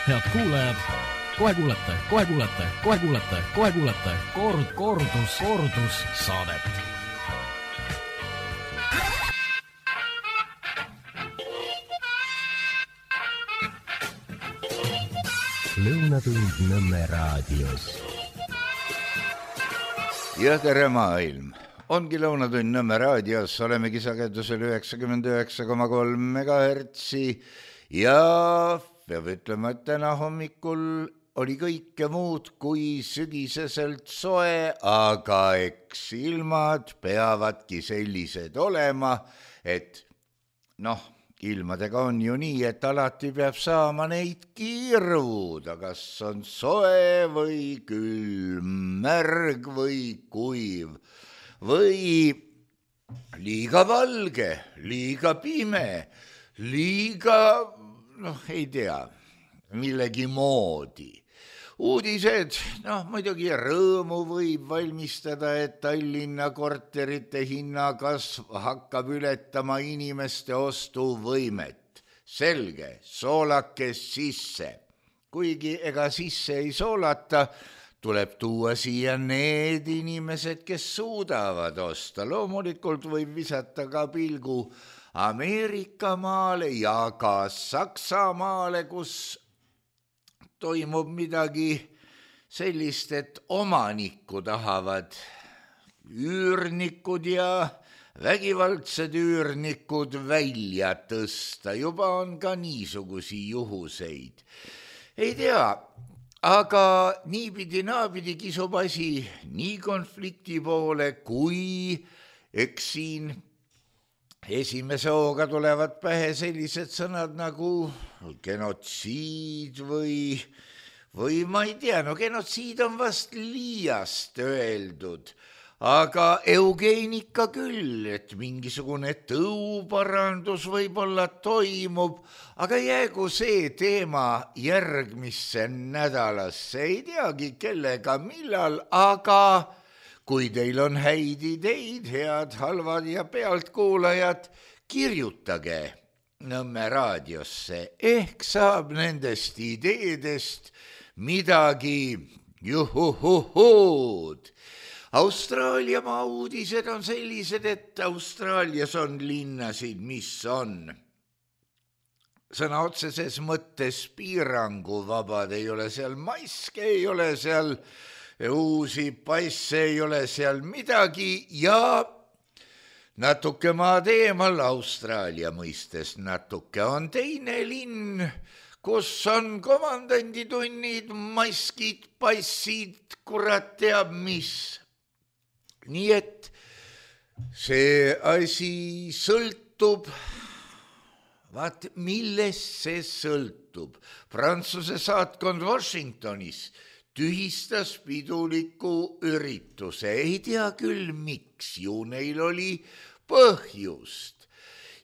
Head kuulajad, kohe kuulete kordus saadet. Lõunatund Nõmme raadios. Ja tere maailm! Ongi Lõunatund Nõmme raadios, olemegi sagedusel 99,3 MHz ja peab ütlema, et täna hommikul oli kõike muud kui sügiseselt soe, aga eks ilmad peavadki sellised olema, et ilmadega on ju nii, et alati peab saama neid kirvuda, kas on soe või külm, märg või kuiv või liiga valge, liiga pime, liiga, ei tea, millegi moodi. Uudised, muidugi rõõmu võib valmistada, et Tallinna korterite hinnakasv hakkab ületama inimeste ostuvõimet. Selge, soolakes sisse. Kuigi ega sisse ei soolata, tuleb tuua siia need inimesed, kes suudavad osta. Loomulikult võib visata ka pilgu Ameerika maale ja ka Saksamaale, kus toimub midagi sellist, et omanikku tahavad üürnikud ja vägivaldsed üürnikud välja tõsta. Juba on ka niisugusi juhuseid. Ei tea, aga niipidi-naapidi kisub asi nii konflikti poole, kui eks siin esimese hooga tulevad pähe sellised sõnad nagu genotsiid või ma ei tea, genotsiid on vast liiast öeldud, aga eugeenika küll, et mingisugune tõuparandus võib-olla toimub, aga jäägu see teema järgmisse nädalasse, ei teagi kellega, millal, aga kui teil on häid ideid, head, halvad ja pealtkuulajad, kirjutage Nõmme raadiosse, ehk saab nendest ideedest midagi juhuhuhuud. Austraalia maa uudised on sellised, et Austraalias on linnasid, mis on sõna otseses mõttes piiranguvabad, ei ole seal maske, ei ole seal uusi passe, ei ole seal midagi ja natuke maad eemal Austraalia mõistes natuke on teine linn, kus on komandanditunnid, maskid, passid, kurat teab mis. Nii et see asi sõltub, vaat millest see sõltub. Prantsuse saatkond Washingtonis tühistas piduliku ürituse, ei tea küll miks, ju neil oli põhjust.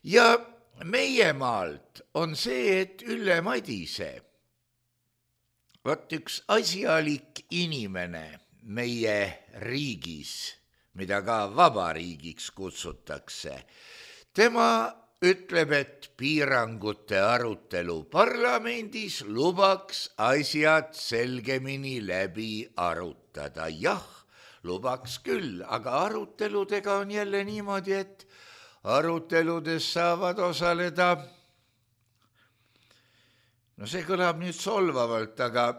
Ja meie maalt on see, et Ülle Madise, vaat üks asjalik inimene meie riigis, mida ka vabariigiks kutsutakse, tema ütleb, et piirangute arutelu parlamendis lubaks asjad selgemini läbi arutada. Jah, lubaks küll, aga aruteludega on jälle niimoodi, et aruteludes saavad osaleda, see kõlab nüüd solvavalt, aga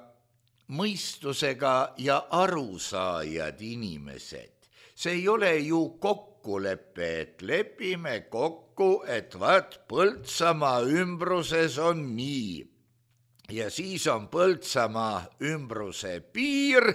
mõistusega ja arusaajad inimesed. See ei ole ju kokkulepe, et lepime kokku, et vaat Põltsamaa ümbruses on nii. Ja siis on Põltsamaa ümbruse piir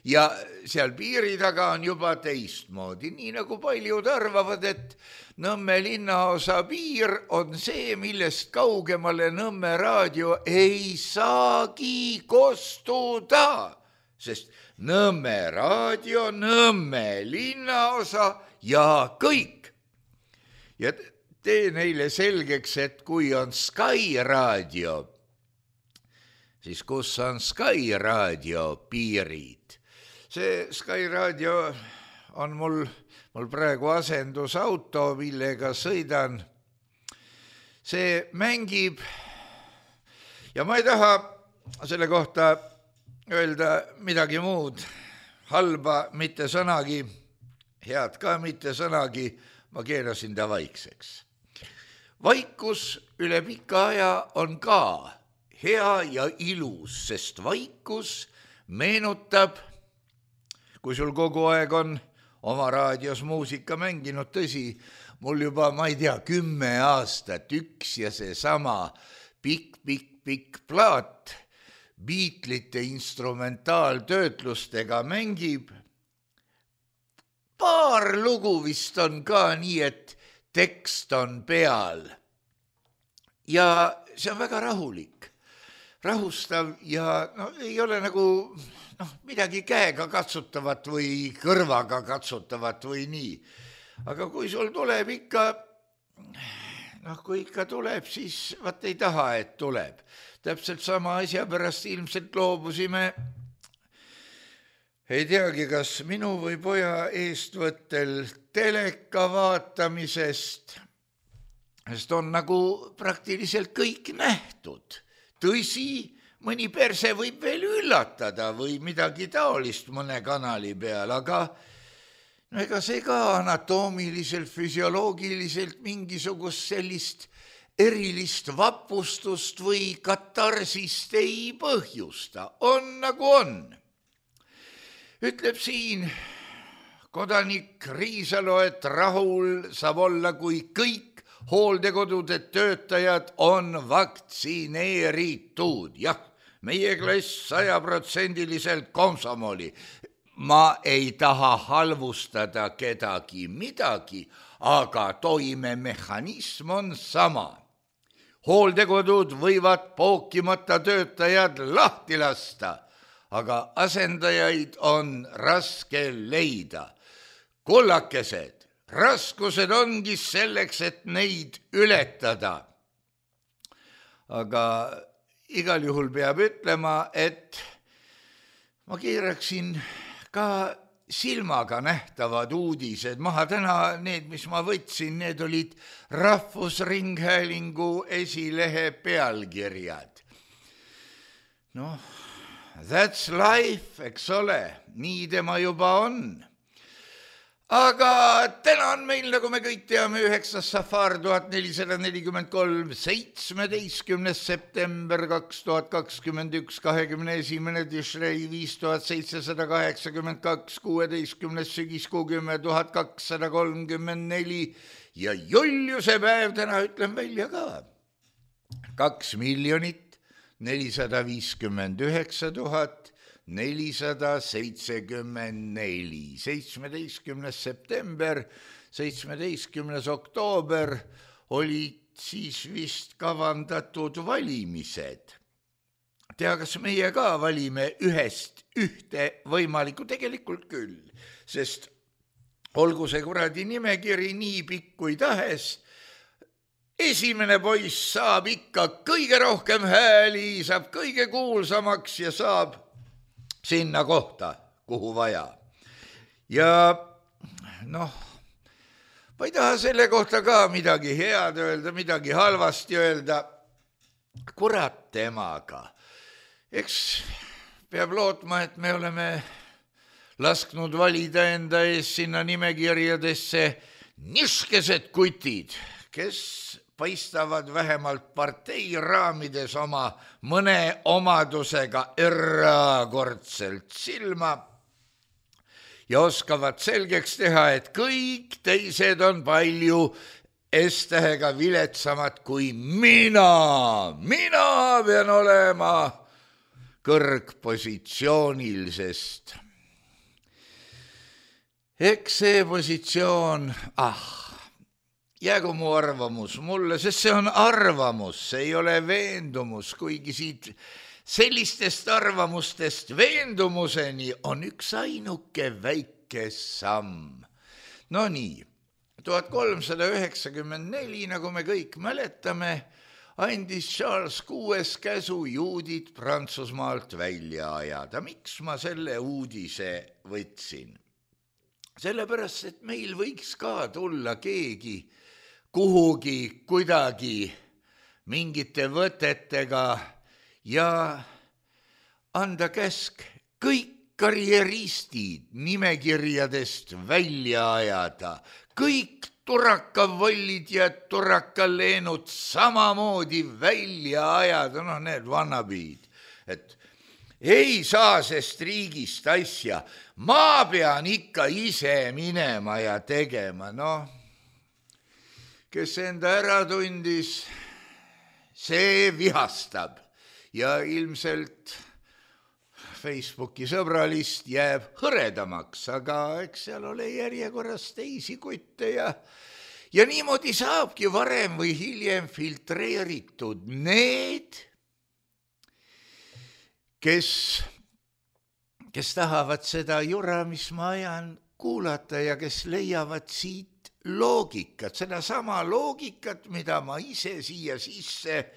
ja seal piiri taga on juba teistmoodi. Nii nagu paljud arvavad, et Nõmme linnaosa piir on see, millest kaugemale Nõmme raadio ei saagi kostuda, sest Nõmme raadio, Nõmme linnaosa ja kõik. Ja tee neile selgeks, et kui on Sky raadio, siis kus on Sky raadio piirid? See Sky raadio on mul praegu asendusauto, millega sõidan. See mängib ja ma ei taha selle kohta öelda midagi muud, halba mitte sõnagi, head ka mitte sõnagi, ma keerasin ta vaikseks. Vaikus üle pika aja on ka hea ja ilus, sest vaikus meenutab, kui sul kogu aeg on oma raadios muusika mänginud, tõsi, mul juba, ma ei tea, 10 aastat üks ja seesama pikk plaat Beatlesite instrumentaaltöötlustega mängib. Paar lugu vist on ka nii, et tekst on peal. Ja see on väga rahulik, rahustav ja ei ole nagu midagi käega katsutavat või kõrvaga katsutavat või nii. Aga kui sul tuleb ikka, kui ikka tuleb, siis vaat ei taha, et tuleb. Täpselt sama asja pärast ilmselt loobusime, ei teagi, kas minu või poja eestvõttel teleka vaatamisest, sest on nagu praktiliselt kõik nähtud. Tõsi, mõni perse võib veel üllatada või midagi taolist mõne kanali peal, aga ega see ka anatoomiliselt, füsioloogiliselt mingisugust sellist erilist vapustust või katarsist ei põhjusta. On nagu on. Ütleb siin kodanik Riisalo, et rahul saab olla, kui kõik hooldekodude töötajad on vaktsineeritud. Jah, meie klass 100% komsomoli. Ma ei taha halvustada kedagi midagi, aga toimemehhanism on sama. Hooldekodud võivad pookimata töötajad lahti lasta, aga asendajaid on raske leida. Kullakesed, raskused ongi selleks, et neid ületada. Aga igal juhul peab ütlema, et ma keeraksin ka silmaga nähtavad uudised maha. Täna need, mis ma võtsin, need olid Rahvusringhäälingu esilehe pealkirjad. That's life, eks ole, nii tema juba on. Aga täna on meil, nagu me kõik teame, 9. safar 1443, 17. september 2021, 21. Tishrei 5782, 16. sügiskuu 10.234 ja Juliuse päev täna ütlen välja ka. 2 459 474, 17. september, 17. oktoober olid siis vist kavandatud valimised. Tea, kas meie ka valime ühest ühte võimalikku, tegelikult küll, sest olgu see kuradi nimekiri nii pikk kui tahes, esimene poiss saab ikka kõige rohkem hääli, saab kõige kuulsamaks ja saab sinna kohta, kuhu vaja. Ja ma ei taha selle kohta ka midagi head öelda, midagi halvasti öelda. Kurat temaga. Eks peab lootma, et me oleme lasknud valida enda ees sinna nimekirjadesse niskesed kutid, kes paistavad vähemalt partei raamides oma mõne omadusega erakordselt silma ja oskavad selgeks teha, et kõik teised on palju S-tähega viletsamad kui mina. Mina pean olema kõrgpositsioonil, sest eks see positsioon, jäägu mu arvamus mulle, sest see on arvamus, see ei ole veendumus, kuigi siit sellistest arvamustest veendumuseni on üks ainuke väike samm. No nii, 1394, nagu me kõik mäletame, andis Charles VI käsu juudid Prantsusmaalt välja ajada. Miks ma selle uudise võtsin? Sellepärast, et meil võiks ka tulla keegi kuhugi kuidagi mingite võtetega ja anda käsk kõik karjeristid nimekirjadest välja ajada, kõik turakavollid ja turakaleenud samamoodi välja ajada, need vannapiid, et ei saa sest riigist asja, ma pean ikka ise minema ja tegema, kes enda ära tundis, see vihastab ja ilmselt Facebooki sõbralist jääb hõredamaks, aga eks seal ole järjekorras teisi kutte ja niimoodi saabki varem või hiljem filtreeritud need, kes tahavad seda jura, mis ma ajan, kuulata ja kes leiavad siit loogikat, seda sama loogikat, mida ma ise siia sisse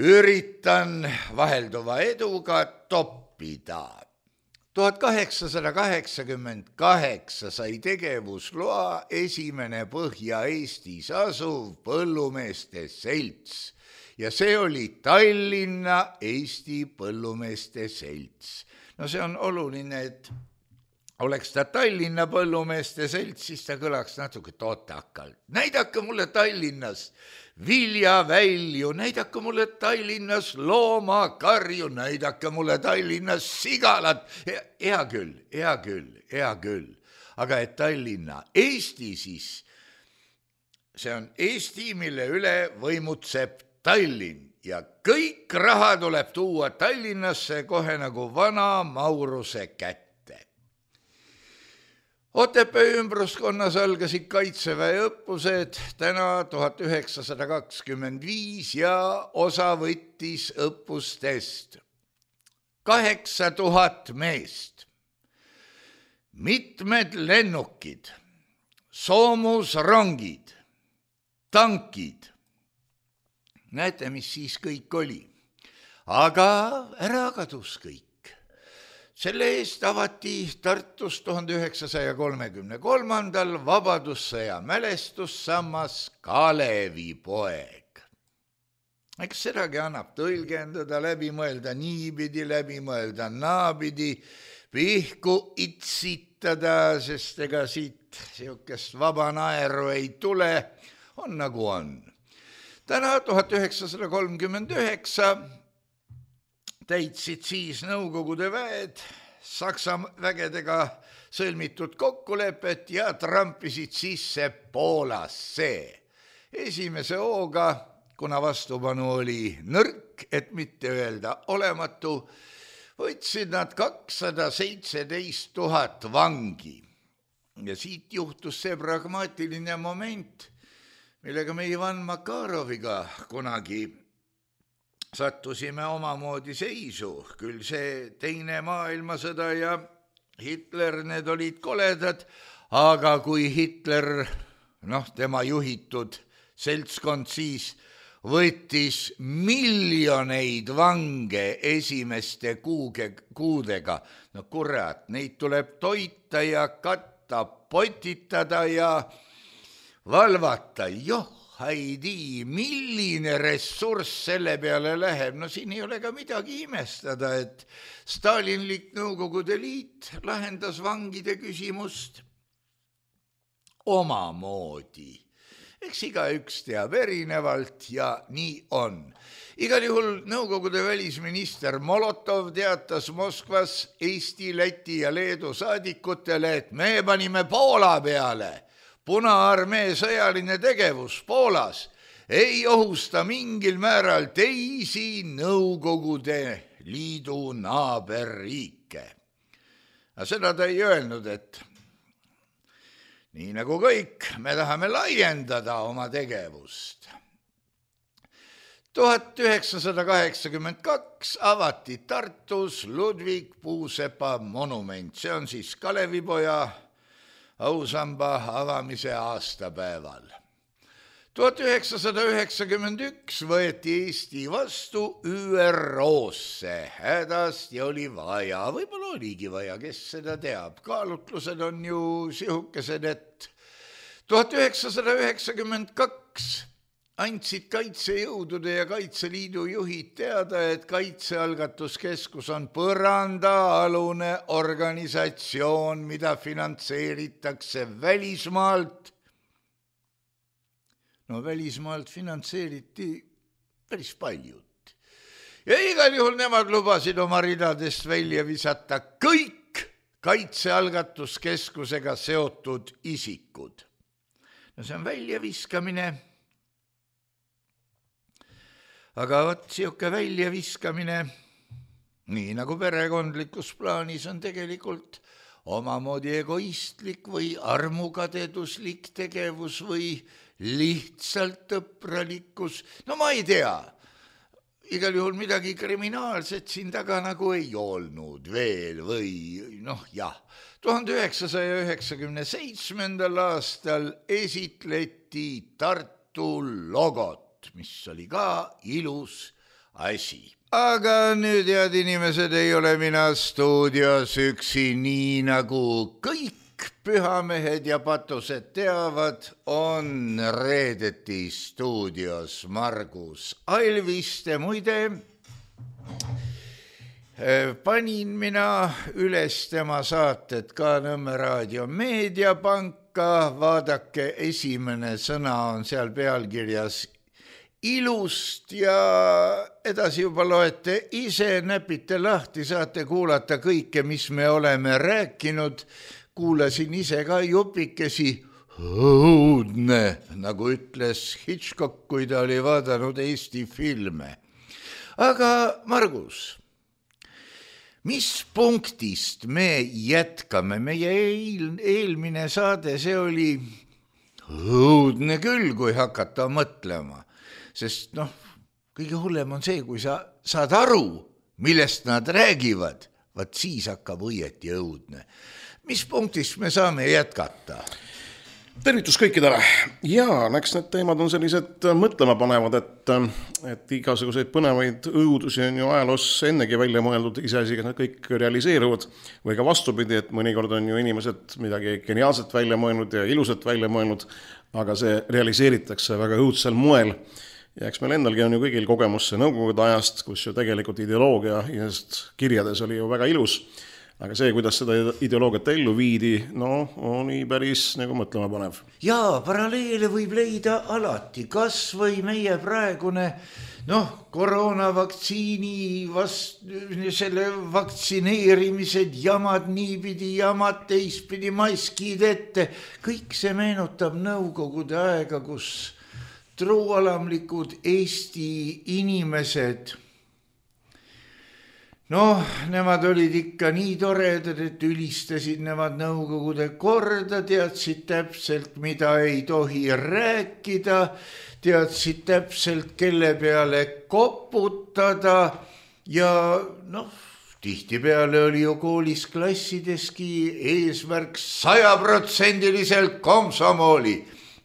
üritan vahelduva eduga toppida. 1888 sai tegevusloa esimene Põhja-Eestis asuv põllumeeste selts ja see oli Tallinna Eesti Põllumeeste Selts. See on oluline, et oleks ta Tallinna Põllumeeste Selts, siis ta kõlaks natuke totakalt. Näidake mulle Tallinnas viljavälju, näidake mulle Tallinnas loomakarju, näidake mulle Tallinnas sigalat. Hea küll. Aga et Tallinna Eesti siis, see on Eesti, mille üle võimutseb Tallinn ja kõik raha tuleb tuua Tallinnasse kohe nagu vana Mauruse kätte. Otepää ümbruskonnas algasid kaitseväe õppused täna 1925 ja osa võttis õppustest 8000 meest, mitmed lennukid, soomusrongid, tankid. Näete, mis siis kõik oli, aga ära kadus kõik. Selle eest avati Tartus 1933. Vabadussõja mälestussammas Kalevipoeg. Eks sedagi annab tõlgendada, läbi mõelda niipidi, läbi mõelda naapidi, pihku itsitada, sest ega siit siukest vaba naeru ei tule, on nagu on. Täna 1939 täitsid siis Nõukogude väed Saksa vägedega sõlmitud kokkulepet ja trampisid sisse Poolasse. Esimese hooga, kuna vastupanu oli nõrk, et mitte öelda olematu, võtsid nad 217 000 vangi. Ja siit juhtus see pragmaatiline moment, millega me Ivan Makaroviga kunagi sattusime omamoodi seisu, küll see teine maailmasõda ja Hitler, need olid koledad, aga kui Hitler, tema juhitud seltskond siis võttis miljoneid vange esimeste kuudega, kurat, neid tuleb toita ja katta, potitada ja valvata, haidi, milline ressurss selle peale läheb. Siin ei ole ka midagi imestada, et stalinlik Nõukogude Liit lahendas vangide küsimust omamoodi. Eks igaüks teab erinevalt ja nii on. Igal juhul Nõukogude välisminister Molotov teatas Moskvas Eesti, Läti ja Leedu saadikutele, et me panime Poola peale. Punaarmee sõjaline tegevus Poolas ei ohusta mingil määral teisi Nõukogude Liidu naaberriike. Aga seda ta ei öelnud, et nii nagu kõik, me tahame laiendada oma tegevust. 1982 avati Tartus Ludvig Puusepa monument, see on siis Kalevipoja ausamba avamise aastapäeval. 1991 võeti Eesti vastu ÜRO-sse, hädasti oli vaja, võib-olla oligi vaja, kes seda teab, kaalutlused on ju sihukesed, et 1992 andsid Kaitsejõudude ja Kaitseliidu juhid teada, et Kaitsealgatuskeskus on põrandaalune organisatsioon, mida finantseeritakse välismaalt. No välismaalt finantseeriti päris paljud. Ja igal juhul nemad lubasid oma ridadest välja visata kõik Kaitsealgatuskeskusega seotud isikud. No see on väljaviskamine. Aga võt siuke väljaviskamine, nii nagu perekondlikus plaanis on tegelikult omamoodi egoistlik või armukadeduslik tegevus või lihtsalt õpralikkus. No ma ei tea, igal juhul midagi kriminaalset siin taga nagu ei olnud veel või jah. 1997. aastal esitleti Tartu logot, mis oli ka ilus asi. Aga nüüd, head inimesed, ei ole mina stuudios üksi, nii nagu kõik pühamehed ja patused teavad, on reedeti stuudios Margus Alviste. Muide, panin mina üles tema saated ka Nõmme Raadio Meediapanka. Vaadake, esimene sõna on seal pealkirjas ilust ja edasi juba loete ise, näpite lahti, saate kuulata kõike, mis me oleme rääkinud. Kuulasin ise ka jupikesi, õudne, nagu ütles Hitchcock, kui ta oli vaadanud Eesti filme. Aga Margus, mis punktist me jätkame? Meie eelmine saade, see oli õudne küll, kui hakata mõtlema. Sest kõige hullem on see, kui sa saad aru, millest nad räägivad, vaat siis hakkab õieti õudne. Mis punktist me saame jätkata? Tervitus kõikidele. Ja eks need teemad on sellised mõtlema panevad, et igasuguseid põnevaid õudusi on ju ajaloos ennegi välja mõeldud, iseasi, kas nad kõik realiseeruvad või ka vastupidi, et mõnikord on ju inimesed midagi geniaalset välja mõelnud ja ilusat välja mõelnud, aga see realiseeritakse väga õudsel moel. Ja eks meil endalgi on ju kõigil kogemusse nõukogude ajast, kus ju tegelikult ideoloogia kirjades oli ju väga ilus, aga see, kuidas seda ideoloogiat ellu viidi, oli päris nagu mõtlema panev. Jaa, paralleele võib leida alati, kas või meie praegune koroonavaktsiini selle vaktsineerimised, jamad niipidi, jamad teistpidi, maskid ette, kõik see meenutab nõukogude aega, kus truualamlikud Eesti inimesed, nemad olid ikka nii toredad, et ülistasid nemad nõukogude korda, teadsid täpselt, mida ei tohi rääkida, teadsid täpselt, kelle peale koputada ja tihtipeale oli ju koolis klassideski eesmärk 100% komsomooli.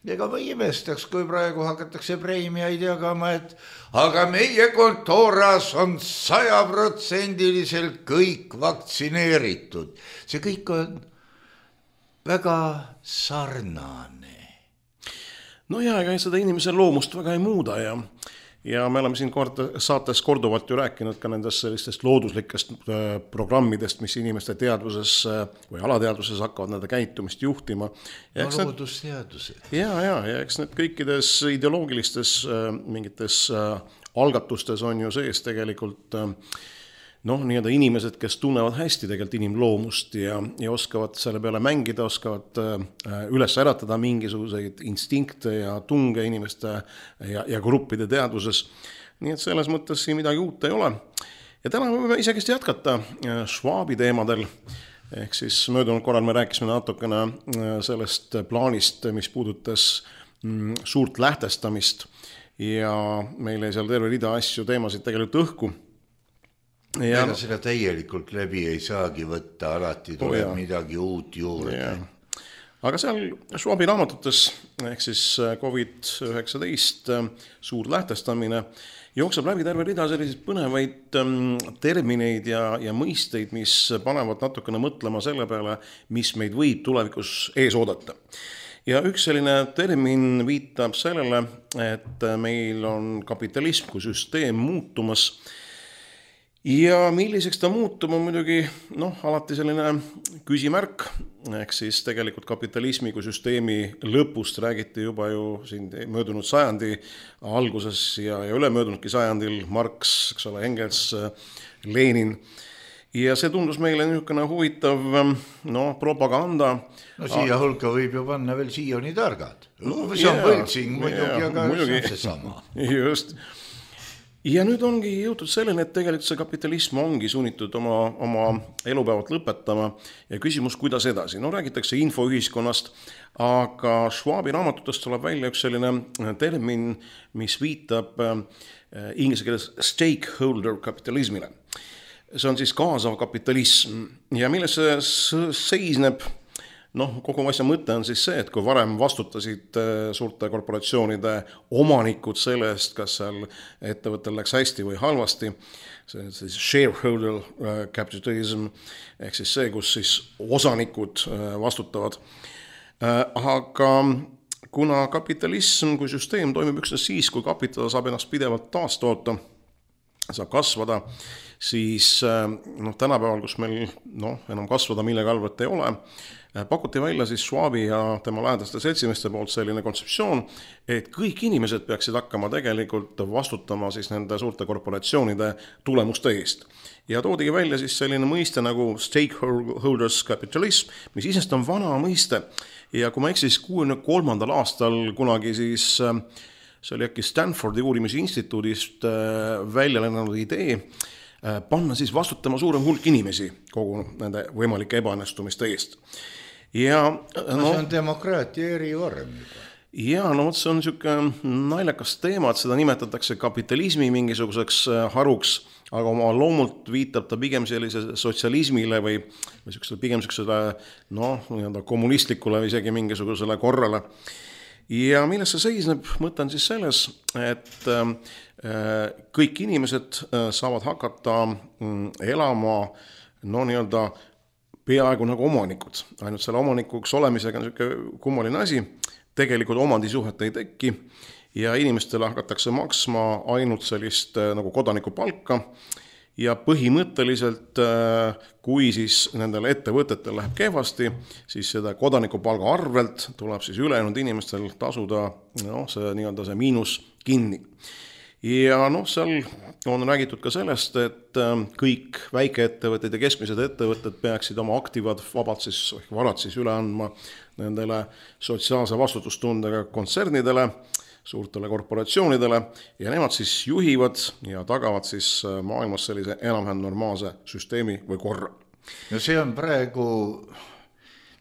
Ega ma imestaks, kui praegu hakatakse preemiaid jagama, et aga meie kontooras on 100% kõik vaktsineeritud. See kõik on väga sarnane. Ega seda inimese loomust väga ei muuda ja me oleme siin saates korduvalt ju rääkinud ka nendest sellistest looduslikest programmidest, mis inimeste teadvuses või alateadvuses hakkavad nende käitumist juhtima. Loodusteadused. Ja eks need kõikides ideoloogilistes mingites algatustes on ju sees tegelikult nii-öelda inimesed, kes tunnevad hästi tegelikult inimloomust ja oskavad selle peale mängida, oskavad üles äratada mingisuguseid instinkte ja tunge inimeste ja gruppide teadvuses. Nii et selles mõttes siin midagi uut ei ole. Ja täna võime isegist jätkata Schwabi teemadel. Ehk siis möödunud korral me rääkisime natukene sellest plaanist, mis puudutas suurt lähtestamist ja meil ei seal terve rida asju teemasid tegelikult õhku. Ega seda täielikult läbi ei saagi võtta, alati tuleb midagi uut juurde. Aga seal Schwabi raamatutes, ehk siis COVID-19 suur lähtestamine, jookseb läbi terve rida selliseid põnevaid termineid ja mõisteid, mis panevad natukene mõtlema selle peale, mis meid võib tulevikus ees oodata. ja üks selline termin viitab sellele, et meil on kapitalism kui süsteem muutumas ja milliseks ta muutub on muidugi alati selline küsimärk, ehk siis tegelikult kapitalismi kui süsteemi lõpust räägiti juba ju siin möödunud sajandi alguses ja ülemöödunudki sajandil Marx, eks ole, Engels, Lenin. Ja see tundus meile niisugune huvitav propaganda. No siia hulka võib ju panna veel Sioni targad. See on võltsing muidugi, aga see on see sama. Just. Ja nüüd ongi jõutud selleni, et tegelikult see kapitalism ongi sunnitud oma elupäevad lõpetama ja küsimus, kuidas edasi. Räägitakse infoühiskonnast, aga Schwabi raamatutest tuleb välja üks selline termin, mis viitab inglise keeles stakeholder kapitalismile. See on siis kaasav kapitalism ja milles see seisneb. Kogu asja mõte on siis see, et kui varem vastutasid suurte korporatsioonide omanikud selle eest, kas seal ettevõttel läks hästi või halvasti, see on siis shareholder capitalism, ehk siis see, kus siis osanikud vastutavad. Aga kuna kapitalism kui süsteem toimib üksnes siis, kui kapital saab ennast pidevalt taastoota, saab kasvada, siis tänapäeval, kus meil enam kasvada millega arvet ei ole, pakuti välja siis Schwabi ja tema lähedaste seltsimeste poolt selline kontseptsioon, et kõik inimesed peaksid hakkama tegelikult vastutama siis nende suurte korporatsioonide tulemuste eest. Ja toodigi välja siis selline mõiste nagu stakeholders capitalism, mis isest on vana mõiste. Ja kui ma eksis 63. aastal kunagi siis see oli äkki Stanfordi uurimisinstituudist välja lennanud idee panna siis vastutama suurem hulk inimesi kogu nende võimalike ebaõnnestumiste eest. Ja, see on demokraatia erivorm juba. Ja, see on niisugune naljakas teema, et seda nimetatakse kapitalismi mingisuguseks haruks, aga oma loomult viitab ta pigem sellise sotsialismile või pigem niisugusele kommunistlikule või isegi mingisugusele korrale. Ja milles see seisneb, mõte on siis selles, et kõik inimesed saavad hakata elama peaaegu nagu omanikud. Ainult selle omanikuks olemisega on niisugune kummaline asi. Tegelikult omandisuhet ei tekki ja inimestele hakatakse maksma ainult sellist nagu kodaniku palka ja põhimõtteliselt, kui siis nendel ettevõtetel läheb kehvasti, siis seda kodanikupalga arvelt tuleb siis ülejäänud inimestel tasuda see miinus kinni. Ja seal on räägitud ka sellest, et kõik väikeettevõtted ja keskmised ettevõtted peaksid oma aktivad varad siis üle andma nendele sotsiaalse vastutustundega kontsernidele, suurtele korporatsioonidele ja nemad siis juhivad ja tagavad siis maailmas sellise enam-vähem normaalse süsteemi või korra. No see on praegu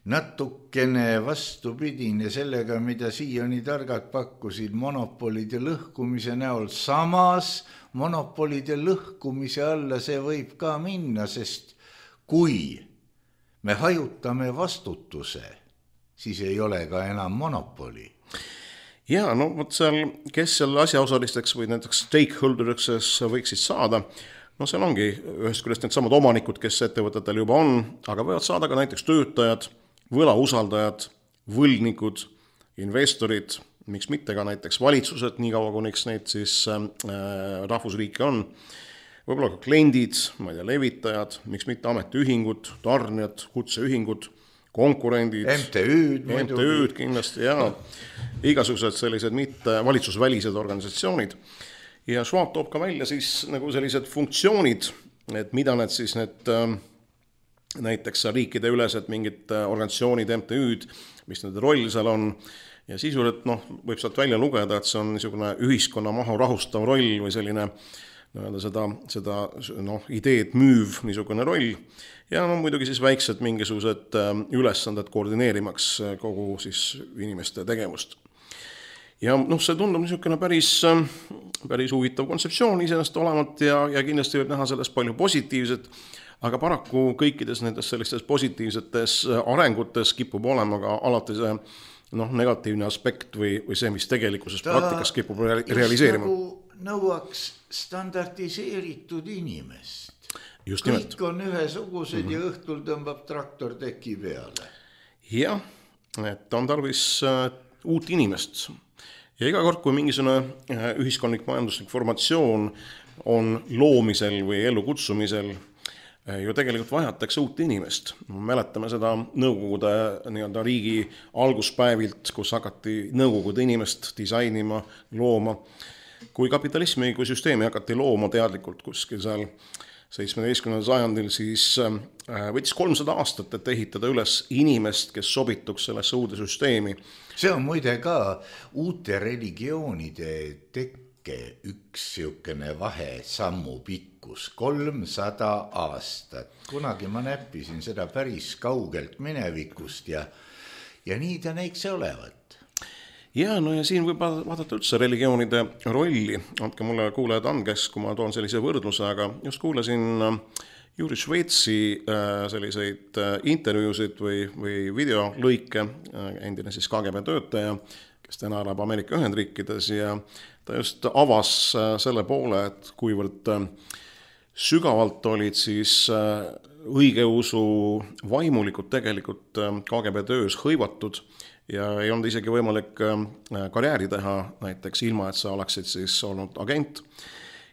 natukene vastupidine sellega, mida Sioni targad pakkusid monopolide lõhkumise näol. Samas monopolide lõhkumise alla see võib ka minna, sest kui me hajutame vastutuse, siis ei ole ka enam monopoli. Ja, seal, kes seal asjaosalisteks või näiteks stakeholderiks võiksid saada, seal ongi ühest küljest need samad omanikud, kes ettevõtetel juba on, aga võivad saada ka näiteks töötajad, võlausaldajad, võlgnikud, investorid, miks mitte ka näiteks valitsused, nii kaua kuniks neid siis rahvusriike on, võib-olla ka kliendid, levitajad, miks mitte ametiühingud, tarnijad, kutseühingud, konkurendid, MTÜ-d kindlasti ja igasugused sellised mitte valitsusvälised organisatsioonid. Ja Schwab toob ka välja siis nagu sellised funktsioonid, et mida need siis näiteks riikide ülesed mingid organisatsioonid, MTÜ-d, mis nende roll seal on. Ja sisuliselt võib sealt välja lugeda, et see on niisugune ühiskonna maha rahustav roll või selline seda ideed müüv niisugune roll. Ja muidugi siis väiksed mingisugused ülesanded koordineerimaks kogu siis inimeste tegevust. Ja see tundub niisugune päris huvitav kontseptsioon iseenesest olevat ja kindlasti võib näha sellest palju positiivset, aga paraku kõikides nendes sellistes positiivsetes arengutes kipub olema ka alati see negatiivne aspekt või see, mis tegelikkuses praktikas kipub realiseerima. Nagu nõuaks standardiseeritud inimest. Just kõik nimelt. On ühesugused ja õhtul tõmbab traktor teki peale. Jah, et on tarvis uut inimest. Ja iga kord, kui mingisugune ühiskondlik majanduslik formatsioon on loomisel või ellukutsumisel, ju tegelikult vajatakse uut inimest. Mäletame seda Nõukogude nii-öelda riigi alguspäevilt, kus hakati Nõukogude inimest disainima, looma. Kui kapitalismi kui süsteemi hakati looma teadlikult kuskil seal 17. sajandil, siis võttis 300 aastat, et ehitada üles inimest, kes sobituks sellesse uude süsteemi. See on muide ka uute religioonide tekke üks siukene vahe sammu pikkus, 300 aastat. Kunagi ma näppisin seda päris kaugelt minevikust ja nii ta näiks olevat. Ja, no ja siin võib vaadata üldse religioonide rolli. Andke mulle kuulajad andkes, kui ma toon sellise võrdluse, aga just kuulasin Juri Šveitsi selliseid intervjuusid või videolõike, endine siis KGB töötaja, kes täna elab Ameerika Ühendriikides ja ta just avas selle poole, et kuivõrd sügavalt olid siis õigeusu vaimulikud tegelikult KGB töös hõivatud ja ei olnud isegi võimalik karjääri teha näiteks ilma, et sa oleksid siis olnud agent.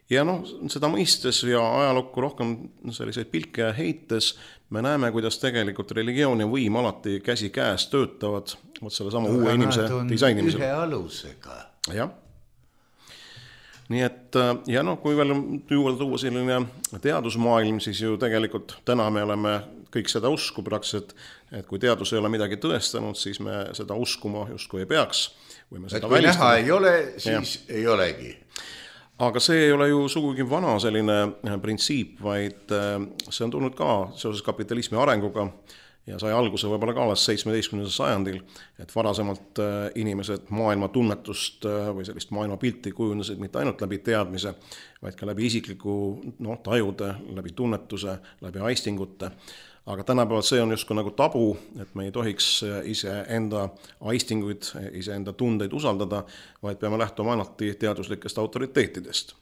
Ja seda mõistes ja ajalukku rohkem selliseid pilke heites me näeme, kuidas tegelikult religioon ja võim alati käsi käes töötavad selle sama uue inimese disainimisel. Ühe alusega. Jah. Nii et, ja kui veel juurde tuua selline teadusmaailm, siis ju tegelikult täna me oleme kõik seda usku praktiliselt, et kui teadus ei ole midagi tõestanud, siis me seda uskuma justkui ei peaks. Või me seda kui näha ei ole, siis ei olegi. Aga see ei ole ju sugugi vana selline printsiip, vaid see on tulnud ka seoses kapitalismi arenguga ja sai alguse võib-olla ka alles 17. sajandil, et varasemalt inimesed maailma tunnetust või sellist maailma pilti kujundasid mitte ainult läbi teadmise, vaid ka läbi isikliku tajude, läbi tunnetuse, läbi aistingute. Aga tänapäeval see on justkui nagu tabu, et me ei tohiks iseenda aistinguid, iseenda tundeid usaldada, vaid peame lähtuma alati teaduslikest autoriteetidest.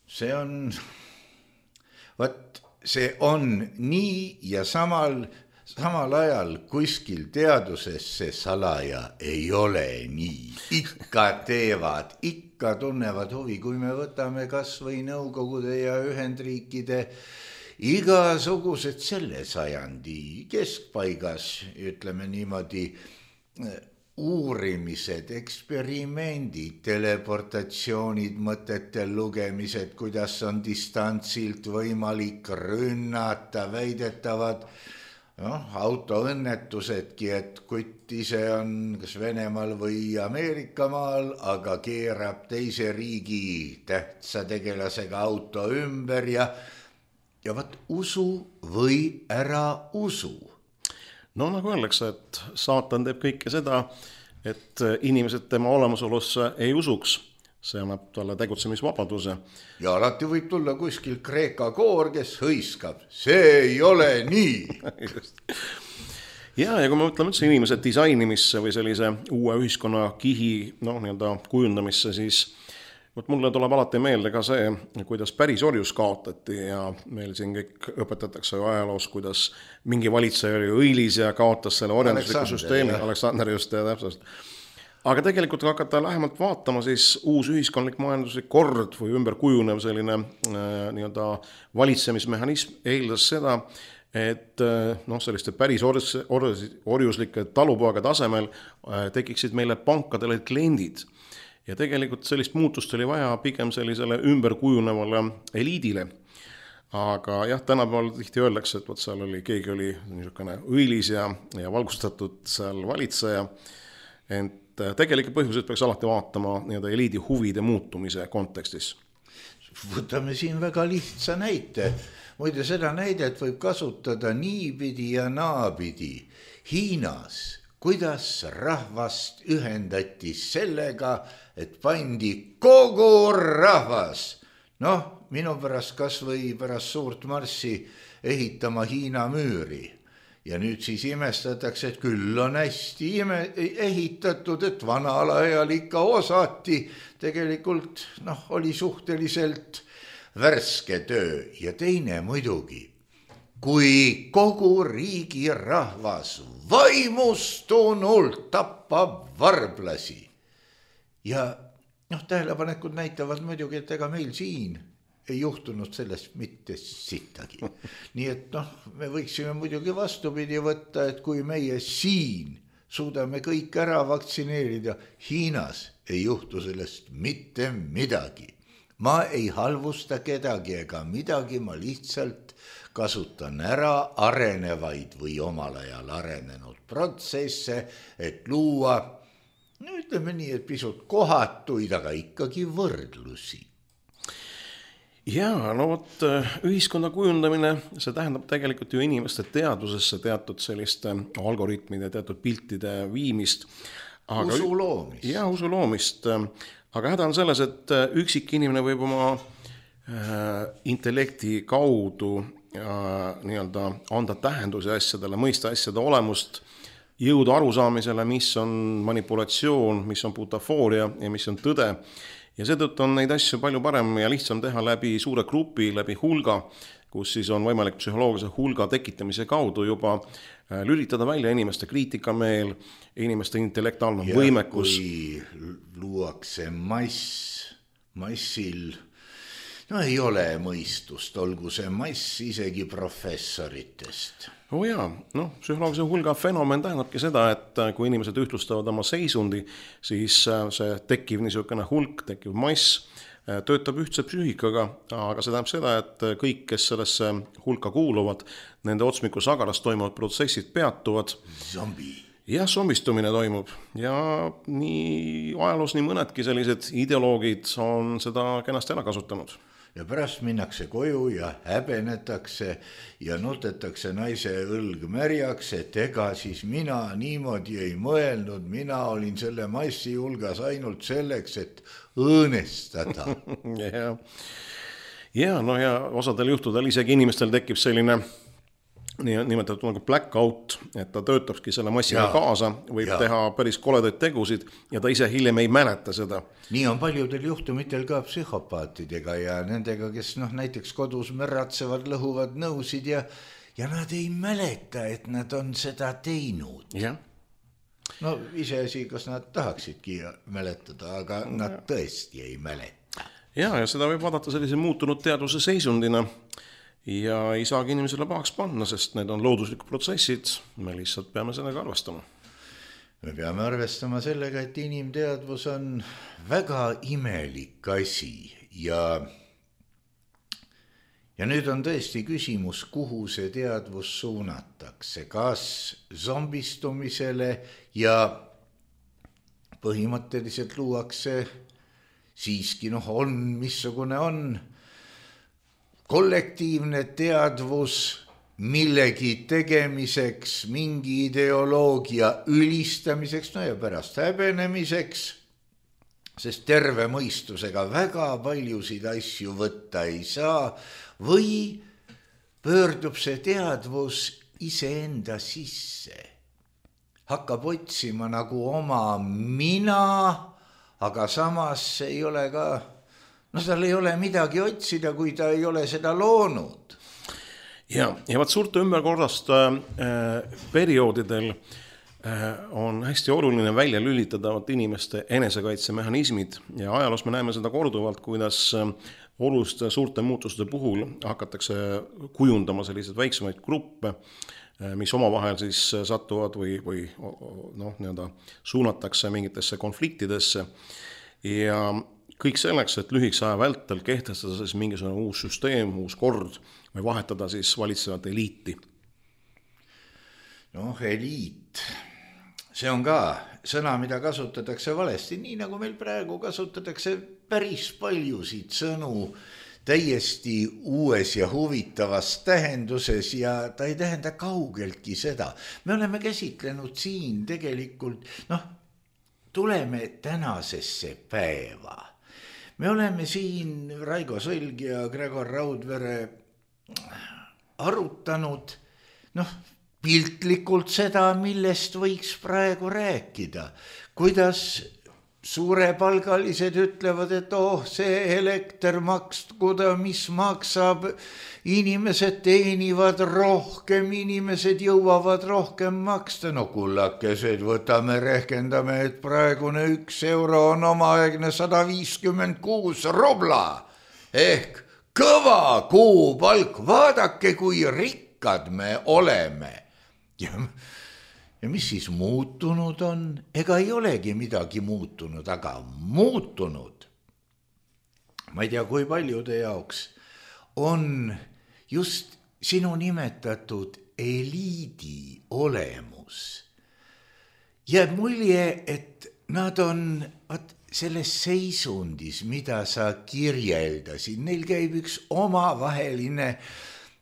See on nii ja samal ajal kuskil teaduses see salaja ei ole nii. Ikka teevad, ikka tunnevad huvi, kui me võtame kas või Nõukogude ja Ühendriikide igasugused selle sajandi keskpaigas, ütleme niimoodi, uurimised, eksperimendid, teleportatsioonid, mõtete lugemised, kuidas on distantsilt võimalik rünnata, väidetavad autoõnnetusedki, et kutt ise on kas Venemaal või Ameerikamaal, aga keerab teise riigi tähtsa tegelasega auto ümber ja võt usu või ära usu. Nagu öeldakse, et saatan teeb kõike seda, et inimesed tema olemasolusse ei usuks. See annab talle tegutsemisvabaduse. Ja alati võib tulla kuskil Kreeka koor, kes hõiskab. See ei ole nii. Ja kui me mõtleme üldse inimese disainimisse või sellise uue ühiskonna kihi kujundamisse, siis mulle tuleb alati meelde ka see, kuidas päris orjus kaotati ja meil siin kõik õpetatakse ajaloos, kuidas mingi valitseja oli õilis ja kaotas selle orjandusliku süsteemi. Aleksander just ja täpselt. Aga tegelikult hakata lähemalt vaatama, siis uus ühiskondlik majanduslik kord või ümberkujunev selline valitsemismehhanism eeldas seda, et selliste päris orjuslike talupoega tasemel tekiksid meile pankadele kliendid. Ja tegelikult sellist muutust oli vaja pigem sellisele ümberkujunevale eliidile. Aga jah, tänapäeval tihti öeldakse, et seal keegi oli niisugune õilis ja valgustatud seal valitseja. Ent tegelikult põhjused peaks alati vaatama eliidi huvide muutumise kontekstis. Võtame siin väga lihtsa näite. Muide, seda näidet võib kasutada niipidi ja naapidi. Hiinas kuidas rahvast ühendati sellega, et pandi kogu rahvas. Minu pärast kas või pärast suurt marssi ehitama Hiina müüri. Ja nüüd siis imestatakse, et küll on hästi ehitatud, et vanal ajal ikka osati. Tegelikult oli suhteliselt värske töö ja teine muidugi. kui kogu riigi rahvas vaimustunult tappab varblasi. Ja tähelepanekud näitavad muidugi, et ega meil siin ei juhtunud sellest mitte sittagi. Nii et me võiksime muidugi vastupidi võtta, et kui meie siin suudame kõik ära vaktsineerida, Hiinas ei juhtu sellest mitte midagi. Ma ei halvusta kedagi ega midagi, ma lihtsalt kasutan ära arenevaid või omal ajal arenenud protsesse, et luua, ütleme nii, et pisut kohatuid, aga ikkagi võrdlusi. Jaa, vot ühiskonna kujundamine, see tähendab tegelikult ju inimeste teadvusesse teatud selliste algoritmide, teatud piltide viimist. Usu loomist. Jaa, usu loomist. Aga häda on selles, et üksik inimene võib oma intellekti kaudu nii-öelda anda tähendusi asjadele, mõista asjade olemust, jõuda arusaamisele, mis on manipulatsioon, mis on butafooria ja mis on tõde. Ja seetõttu on neid asju palju parem ja lihtsam teha läbi suure grupi, läbi hulga, kus siis on võimalik psühholoogilise hulga tekitamise kaudu juba lülitada välja inimeste kriitikameel, inimeste intellektuaalne võimekus. Kui luuakse massil, ei ole mõistust, olgu see mass isegi professoritest. Jaa, psühholoogilise hulga fenomen tähendabki seda, et kui inimesed ühtlustavad oma seisundi, siis see tekkiv niisugune hulk, tekkiv mass töötab ühtse psüühikaga, aga see tähendab seda, et kõik, kes sellesse hulka kuuluvad, nende otsmiku sagaras toimuvad protsessid peatuvad. Ja zombistumine toimub ja nii ajaloos nii mõnedki sellised ideoloogid on seda kenasti ära kasutanud. Ja pärast minnakse koju ja häbenetakse ja nutetakse naise õlg märjaks, et ega siis mina niimoodi ei mõelnud, mina olin selle massi hulgas ainult selleks, et õõnestada. Ja osadel juhtudel isegi inimestel tekib selline nimetatud nagu blackout, et ta töötabki selle massiga kaasa, võib teha päris koledaid tegusid ja ta ise hiljem ei mäleta seda. Nii on paljudel juhtumitel ka psühhopaatidega ja nendega, kes näiteks kodus märratsevad, lõhuvad nõusid ja nad ei mäleta, et nad on seda teinud. Ja. Iseasi, kas nad tahaksidki mäletada, aga nad tõesti ei mäleta. Ja seda võib vaadata sellise muutunud teadvuse seisundina ja ei saagi inimesele pahaks panna, sest need on looduslikud protsessid, me lihtsalt peame sellega arvestama. Me peame arvestama sellega, et inimteadvus on väga imelik asi ja nüüd on tõesti küsimus, kuhu see teadvus suunatakse, kas zombistumisele ja põhimõtteliselt luuakse siiski, on missugune on kollektiivne teadvus millegi tegemiseks, mingi ideoloogia ülistamiseks, ja pärast häbenemiseks, sest terve mõistusega väga paljusid asju võtta ei saa, või pöördub see teadvus iseenda sisse, hakkab otsima nagu oma mina, aga samas ei ole ka tal ei ole midagi otsida, kui ta ei ole seda loonud. Ja vaat suurte ümberkorrast perioodidel on hästi oluline välja lülitada inimeste enesekaitsemehhanismid ja ajaloos me näeme seda korduvalt, kuidas oluliste suurte muutuste puhul hakatakse kujundama selliseid väiksemaid gruppe, mis omavahel siis satuvad või suunatakse mingitesse konfliktidesse ja kõik selleks, et lühikese aja vältel kehtestada siis mingisugune uus süsteem, uus kord või vahetada siis valitsevat eliiti. Eliit, see on ka sõna, mida kasutatakse valesti, nii nagu meil praegu kasutatakse päris paljusid sõnu täiesti uues ja huvitavas tähenduses ja ta ei tähenda kaugeltki seda. Me oleme käsitlenud siin tegelikult, tuleme tänasesse päeva. Me oleme siin Raigo Sõlg ja Gregor Raudvere arutanud piltlikult seda, millest võiks praegu rääkida. Kuidas suurepalgalised ütlevad, et see elekter maksta, mis maksab, inimesed teenivad rohkem, inimesed jõuavad rohkem maksta. No kullakesed, võtame, rehkendame, et praegune 1 euro on omaaegne 156 rubla ehk kõva kuupalk. Vaadake, kui rikkad me oleme. Ja mis siis muutunud on? Ega ei olegi midagi muutunud, aga muutunud, ma ei tea, kui paljude jaoks, on just sinu nimetatud eliidi olemus. Jääb mulje, et nad on selles seisundis, mida sa kirjeldasid, neil käib üks omavaheline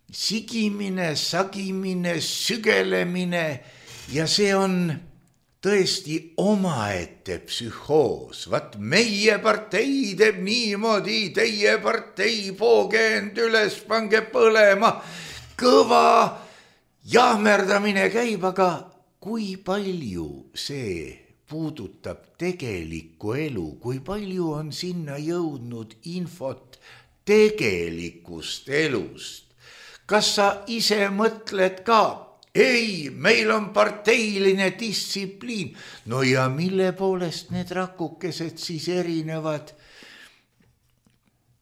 sigimine, sagimine, sügelemine ja see on tõesti omaette psühhoos. Vat meie partei teeb niimoodi, teie partei poogend üles, pange põlema. Kõva jahmerdamine käib, aga kui palju see puudutab tegelikku elu, kui palju on sinna jõudnud infot tegelikust elust? Kas sa ise mõtled ka? Ei, meil on parteiline distsipliin. No ja mille poolest need rakukesed siis erinevad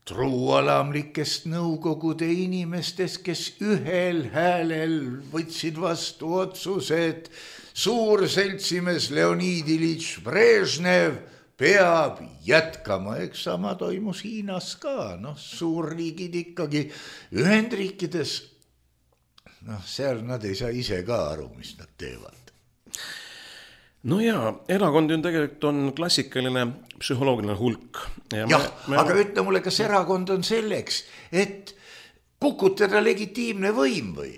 truualamlikest nõukogude inimestest, kes ühel häälel võtsid vastu otsused? Suur seltsimees Leonid Ilitš Brežnev peab jätkama, eks sama toimus Hiinas ka, suurriigid ikkagi Ühendriikides. Seal nad ei saa ise ka aru, mis nad teevad. No jaa, erakond tegelikult on klassikaline psühholoogiline hulk. Aga ütle mulle, kas erakond on selleks, et kukutada legitiimne võim või?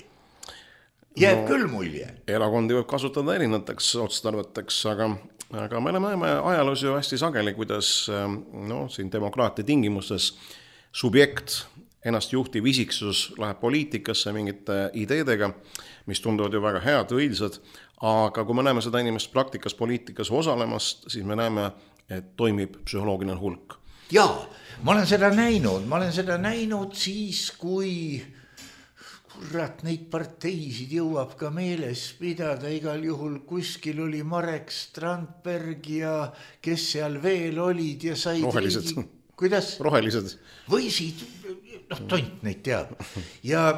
Jääb küll mulje. Erakondi võib kasutada erinevateks otstarveteks, aga me näeme ajaloos ju hästi sageli, kuidas siin demokraatia tingimustes subjekt, ennast juhtiv isiksus läheb poliitikasse mingite ideedega, mis tunduvad ju väga head, õilsad, aga kui me näeme seda inimest praktikas poliitikas osalemast, siis me näeme, et toimib psühholoogiline hulk. Jaa, ma olen seda näinud siis, kui kurat neid parteisid jõuab ka meeles pidada. Igal juhul kuskil oli Marek Strandberg ja kes seal veel olid ja said rohelised. Kuidas? Rohelised. Võisid, tont neid teab. Ja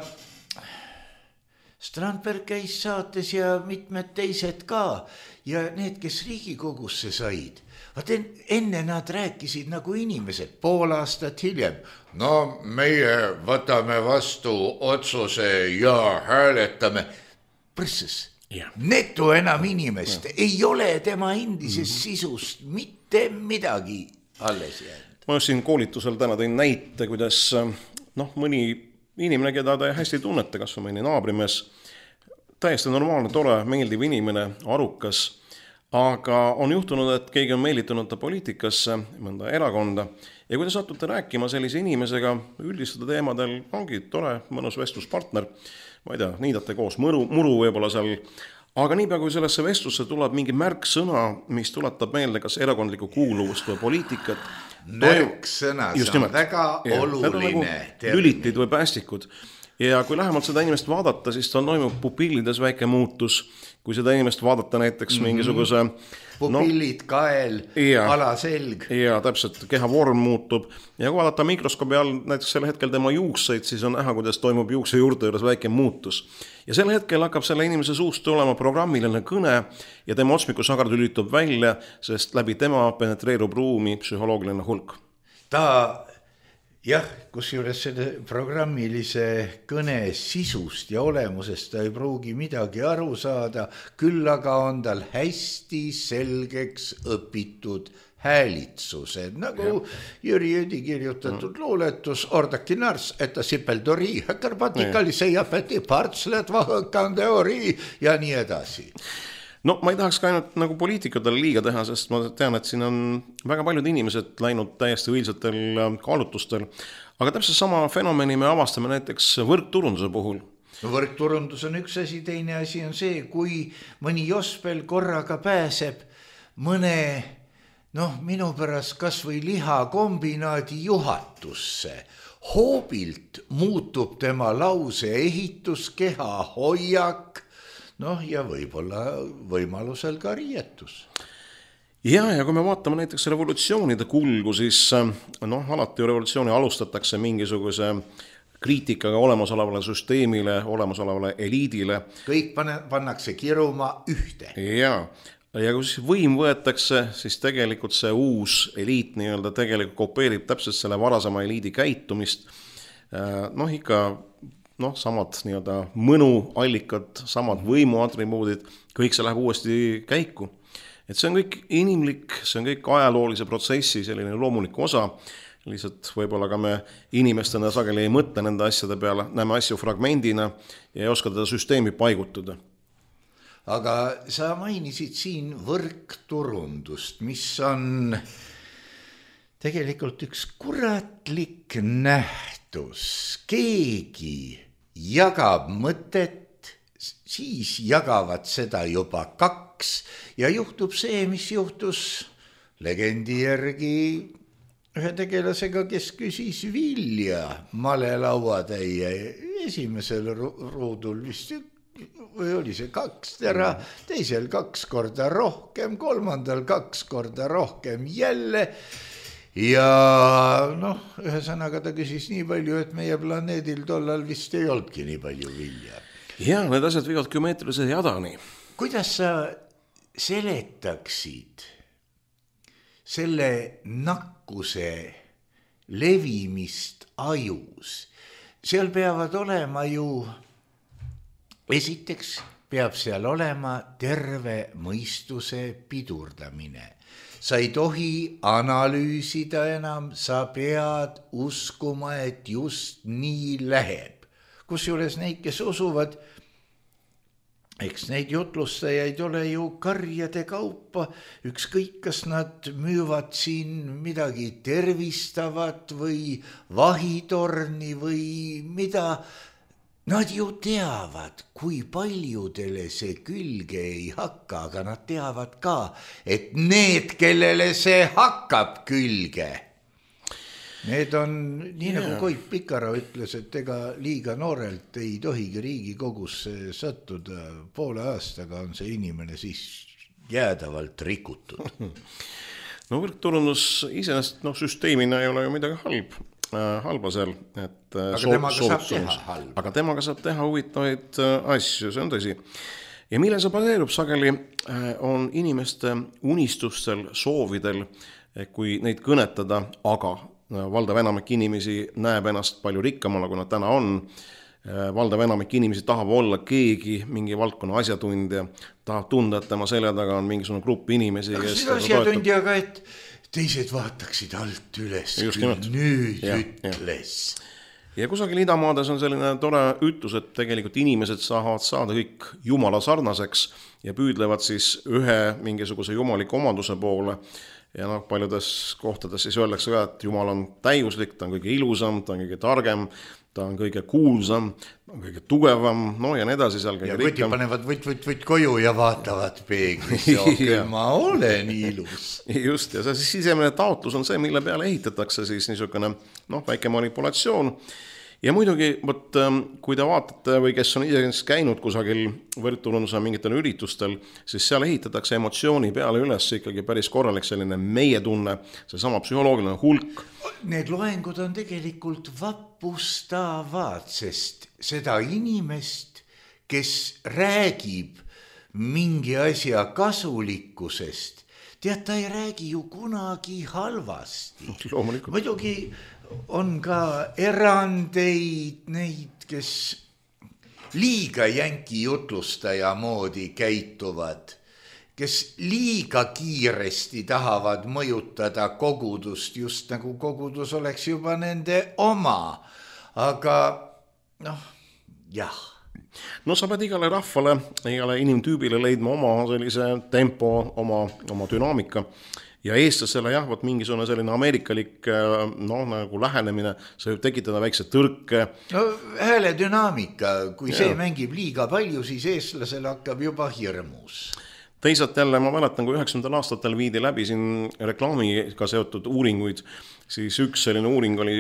Strandberg käis saates ja mitmed teised ka. Ja need, kes Riigikogusse said, enne nad rääkisid nagu inimesed, pool aastat hiljem. No meie võtame vastu otsuse ja hääletame. Prõsses. Netu enam inimest. Ei ole tema endisest sisust mitte midagi alles jäänud. Ma siin koolitusel täna tõin näite, kuidas mõni inimene, keda ta hästi tunnete, kas või mõni naabrimees, täiesti normaalne, tore, meeldiv inimene, arukas, aga on juhtunud, et keegi on meelitunud ta poliitikasse, mõnda erakonda, ja kui te satute rääkima sellise inimesega, üldistada teemadel, ongi tore, mõnus vestluspartner, ma ei tea, niidate koos muru võib-olla seal, aga niipea kui sellesse vestlusse tuleb mingi märksõna, mis tuletab meelde kas erakondlikku kuuluvust või poliitikat, märksõna, see on väga oluline termin. Lülitid või päästikud. Ja kui lähemalt seda inimest vaadata, siis tal toimub pupillides väike muutus. Kui seda inimest vaadata näiteks mingisuguse... Pupillid, kael, alaselg. Ja täpselt, keha vorm muutub. Ja kui vaadata mikroskoobi all näiteks selle hetkel tema juukseid, siis on näha, kuidas toimub juukse juurde juures väike muutus. Ja selle hetkel hakkab selle inimese suust tulema programmiline kõne ja tema otsmikusagar lülitub välja, sest läbi tema penetreerub ruumi psühholoogiline hulk. Jah, kusjuures selle programmilise kõne sisust ja olemusest ta ei pruugi midagi aru saada, küll aga on tal hästi selgeks õpitud häälitsused, nagu Jüri Jüdi kirjutatud luuletus Ordaki nars, että sipeldori, karpatikali seiapeti partslet vahõkandeori ja nii edasi. No ma ei tahaks ka ainult nagu poliitikutele liiga teha, sest ma tean, et siin on väga paljud inimesed läinud täiesti õilsatel kaalutlustel, aga täpselt sama fenomeni me avastame näiteks võrkturunduse puhul. Võrkturundus on üks asi, teine asi on see, kui mõni jospel korraga pääseb mõne noh, minu pärast kas või lihakombinaadi juhatusse. Hoobilt muutub tema lause ehitus, keha hoiak, noh ja võib-olla võimalusel ka riietus. Ja kui me vaatame näiteks revolutsioonide kulgu, siis noh, alati revolutsiooni alustatakse mingisuguse kriitikaga olemasolevale süsteemile, olemasolevale eliidile. Kõik pannakse kiruma ühte. Ja kui siis võim võetakse, siis tegelikult see uus eliit nii-öelda tegelikult kopeerib täpselt selle varasema eliidi käitumist. Noh, ikka samad nii-öelda mõnuallikad, samad võimuatribuudid, kõik see läheb uuesti käiku. Et see on kõik inimlik, see on kõik ajaloolise protsessi selline loomulik osa, lihtsalt võib-olla ka me inimestena sageli ei mõtle nende asjade peale, näeme asju fragmendina ja ei oska teda süsteemi paigutada. Aga sa mainisid siin võrkturundust, mis on tegelikult üks kuratlik nähtus. Keegi jagab mõtet, siis jagavad seda juba kaks ja juhtub see, mis juhtus legendi järgi ühe tegelasega, kes küsis vilja malelauatäie esimesel ruudul vist või oli see 2 tera, teisel 2 korda rohkem, kolmandal 2 korda rohkem jälle. Ja noh, ühesõnaga ta küsis nii palju, et meie planeedil tollal vist ei olnudki nii palju vilja. Ja need asjad viivad geomeetrilise jadani. Kuidas sa seletaksid selle nakkuse levimist ajus? Seal peavad olema ju, esiteks peab seal olema terve mõistuse pidurdamine. Sa ei tohi analüüsida enam, sa pead uskuma, et just nii läheb. Kusjuures neid, kes usuvad, eks neid jutlustajaid ole ju karjade kaupa, ükskõik kas nad müüvad siin midagi tervistavat või vahitorni või mida. Nad ju teavad, kui paljudele see külge ei hakka, aga nad teavad ka, et need, kellele see hakkab külge, need on, nii nagu Koit Pikara ütles, et ega liiga noorelt ei tohigi Riigikogusse sattuda, poole aastaga on see inimene siis jäädavalt rikutud. No võrkturundus iseenesest süsteemina ei ole ju midagi halba seal, et aga temaga saab teha huvitavaid asju, see on tõsi. Ja mille see baseerub sageli on inimeste unistustel, soovidel, kui neid kõnetada, aga valdav enamik inimesi näeb ennast palju rikkamana, kui nad täna on. Valdav enamik inimesi tahab olla keegi, mingi valdkonna asjatundja, tahab tunda, et tema selja taga on mingisugune grupp inimesi. See asjatundjaga, et teised vaataksid alt üles, nüüd ütles. Ja kusagil idamaades on selline tore ütlus, et tegelikult inimesed saavad saada kõik jumala sarnaseks ja püüdlevad siis ühe mingisuguse jumaliku omaduse poole. Ja paljudes kohtades siis öeldakse ka, et Jumal on täiuslik, ta on kõige ilusam, ta on kõige targem, ta on kõige kuulsam, ta on kõige tugevam, ja nii edasi seal kõige rikkam. Ja panevad võt koju ja vaatavad peeglis, ja ma olen ilus. Just, ja see sisemine taotlus on see, mille peale ehitatakse siis niisugune väike manipulatsioon. Ja muidugi, kui te vaatate või kes on isegi käinud kusagil võrkturunduse mingitel üritustel, siis seal ehitatakse emotsiooni peale üles ikkagi päris korralik selline meie tunne, see sama psühholoogiline hulk. Need loengud on tegelikult vapustavad, sest seda inimest, kes räägib mingi asja kasulikkusest, tead, ta ei räägi ju kunagi halvasti. Loomulikult. Muidugi on ka erandeid, neid, kes liiga jänki jutlustaja moodi käituvad, kes liiga kiiresti tahavad mõjutada kogudust, just nagu kogudus oleks juba nende oma. Aga jah. No sa pead igale rahvale, igale inimtüübile leidma oma sellise tempo, oma dünaamika. Ja eestlasele mingisugune selline ameerikalik nagu lähenemine, see võib tekitada väikse tõrke. Hääle dünaamika, kui see mängib liiga palju, siis eestlasele hakkab juba hirmus. Teisalt jälle ma mäletan, kui 90. aastatel viidi läbi siin reklaamiga seotud uuringuid, siis üks selline uuring oli,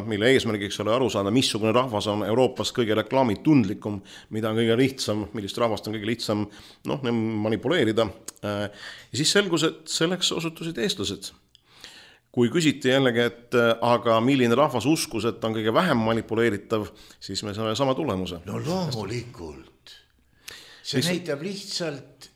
mille eesmärgiks oli aru saada, missugune rahvas on Euroopas kõige reklaamitundlikum, mida on kõige lihtsam, millist rahvast on kõige lihtsam manipuleerida. Ja siis selgus, et selleks osutusid eestlased. Kui küsiti jällegi, et aga milline rahvas uskus, et on kõige vähem manipuleeritav, siis me saame sama tulemuse. No loomulikult. See näitab lihtsalt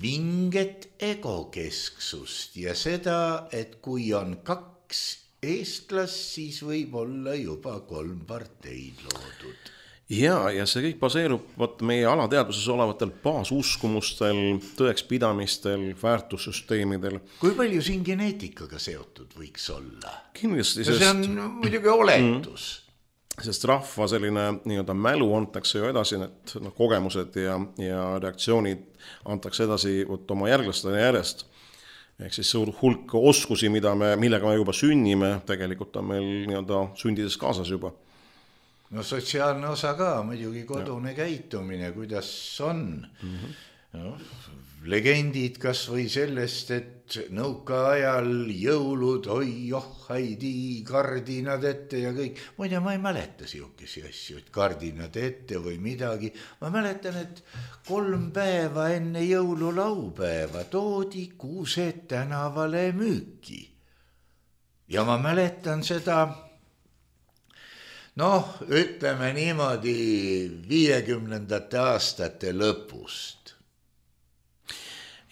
vinget egokesksust ja seda, et kui on 2 eestlast, siis võib olla juba 3 parteid loodud. Ja see kõik baseerub meie alateaduses olevatel baasuskumustel, tõekspidamistel, väärtussüsteemidel. Kui palju siin geneetikaga seotud võiks olla? Kindlasti, see on muidugi oletus. Sest rahva selline mälu antakse ju edasi, need kogemused ja reaktsioonid antakse edasi oma järglastele järjest. Ehk siis suur hulk oskusi, millega me juba sünnime, tegelikult on meil sündides kaasas juba. No sotsiaalne osa ka, muidugi kodune käitumine, kuidas on. Legendid kas või sellest, et nõuka ajal jõulud, haidi, kardinad ette ja kõik. Muide, ma ei mäleta siukesi asju, et kardinad ette või midagi. Ma mäletan, et 3 päeva enne jõululaupäeva toodi kuused tänavale müüki. Ja ma mäletan seda, ütleme niimoodi 50. aastate lõpust.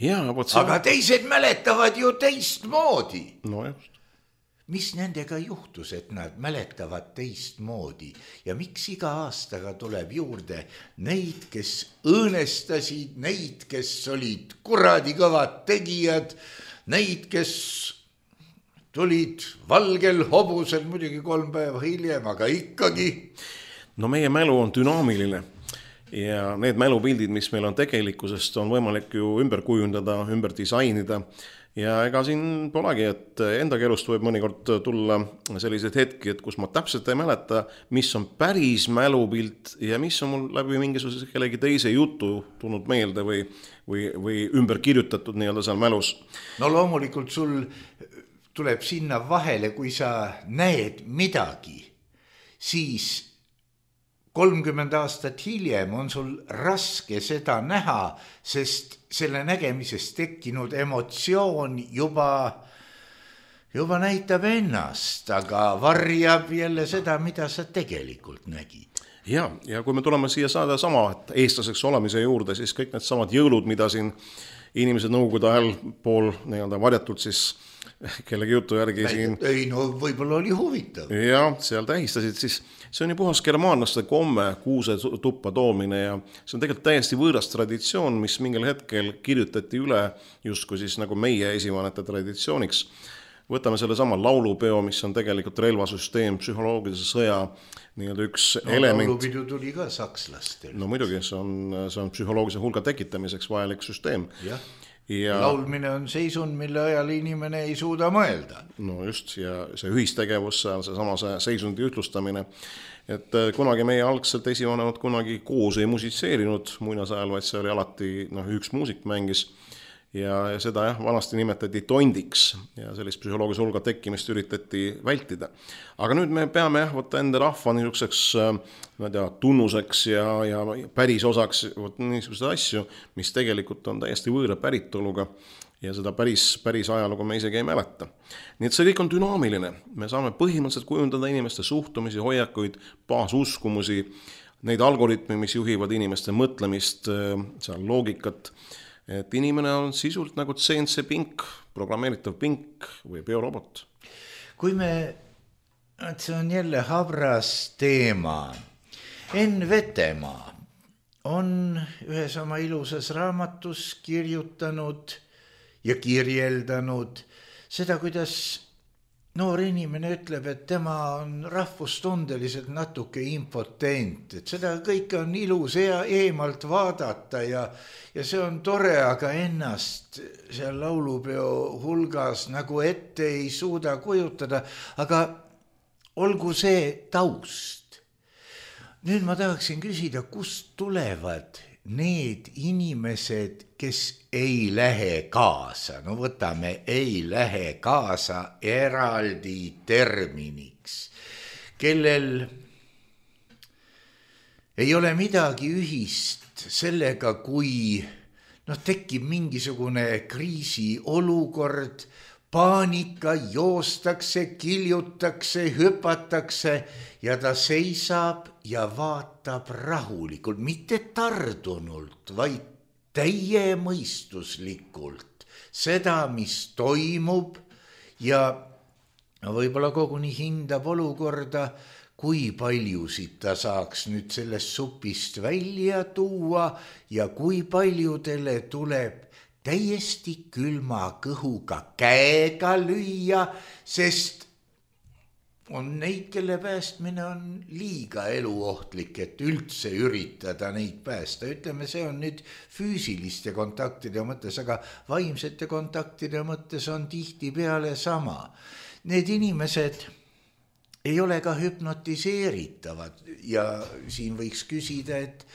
Aga teised mäletavad ju teistmoodi. No just. Mis nendega juhtus, et nad mäletavad teistmoodi ja miks iga aastaga tuleb juurde neid, kes õõnestasid, neid, kes olid kuradi kõvad tegijad, neid, kes tulid valgel hobusel muidugi 3 päeva hiljem, aga ikkagi. No meie mälu on dünaamiline. Ja need mälupildid, mis meil on tegelikkusest, on võimalik ju ümber kujundada, ümber disainida. Ja ega siin polegi, et enda elust võib mõnikord tulla sellised hetki, et kus ma täpselt ei mäleta, mis on päris mälupilt ja mis on mul läbi mingisuguse kellegi teise jutu tulnud meelde või ümber kirjutatud seal mälus. No loomulikult sul tuleb sinna vahele, kui sa näed midagi, siis 30 aastat hiljem on sul raske seda näha, sest selle nägemisest tekkinud emotsioon juba näitab ennast, aga varjab jälle seda, mida sa tegelikult nägid. Ja kui me tuleme siia saada sama eestlaseks olemise juurde, siis kõik need samad jõulud, mida siin inimesed nõukogude ajal pool varjatult siis kellegi jutu järgi siin. Ei, võib-olla oli huvitav. Ja seal tähistasid, siis see on ju puhas germaanlaste komme, kuuse tuppa toomine ja see on tegelikult täiesti võõras traditsioon, mis mingil hetkel kirjutati üle justkui siis nagu meie esivanete traditsiooniks. Võtame selle sama laulupeo, mis on tegelikult relvasüsteem, psühholoogilise sõja üks element. Laulupidu tuli ka sakslastel. No muidugi, see on psühholoogilise hulga tekitamiseks vajalik süsteem. Ja laulmine on seisund, mille ajal inimene ei suuda mõelda. No just, ja see ühistegevus, see seisundi ütlustamine, et kunagi meie algselt esivanemad kunagi koos ei musitseerinud muinasajal, vaid see oli alati üks muusik mängis ja seda vanasti nimetati tondiks ja sellist psühholoogilise hulga tekkimist üritati vältida. Aga nüüd me peame enda rahva niisuguseks tunnuseks ja päris osaks niisuguseid asju, mis tegelikult on täiesti võõra päritoluga ja seda päris ajalugu me isegi ei mäleta. Nii et see kõik on dünaamiline. Me saame põhimõtteliselt kujundada inimeste suhtumisi, hoiakuid, baasuskumusi, neid algoritme, mis juhivad inimeste mõtlemist, seal loogikat, et inimene on sisult nagu CNC pink, programmeeritav pink või biorobot. See on jälle habras teema. Enn Vetemaa on ühes oma ilusas raamatus kirjutanud ja kirjeldanud seda, kuidas noor inimene ütleb, et tema on rahvustundeliselt natuke impotent, et seda kõike on ilus eemalt vaadata ja see on tore, aga ennast seal laulupeo hulgas nagu ette ei suuda kujutada, aga olgu see taust. Nüüd ma tahaksin küsida, kust tulevad need inimesed, kes ei lähe kaasa, no võtame, ei lähe kaasa eraldi terminiks, kellel ei ole midagi ühist sellega, kui tekib mingisugune kriisiolukord, paanika, joostakse, kiljutakse, hüpatakse ja ta seisab ja vaatab rahulikult, mitte tardunult, vaid täiemõistuslikult seda, mis toimub ja võib-olla koguni hindab olukorda, kui paljusid ta saaks nüüd sellest supist välja tuua ja kui paljudele tuleb täiesti külma kõhuga käega lüüa, sest on neid, kelle päästmine on liiga eluohtlik, et üldse üritada neid päästa. Ütleme, see on nüüd füüsiliste kontaktide mõttes, aga vaimsete kontaktide mõttes on tihtipeale sama. Need inimesed ei ole ka hüpnotiseeritavad ja siin võiks küsida, et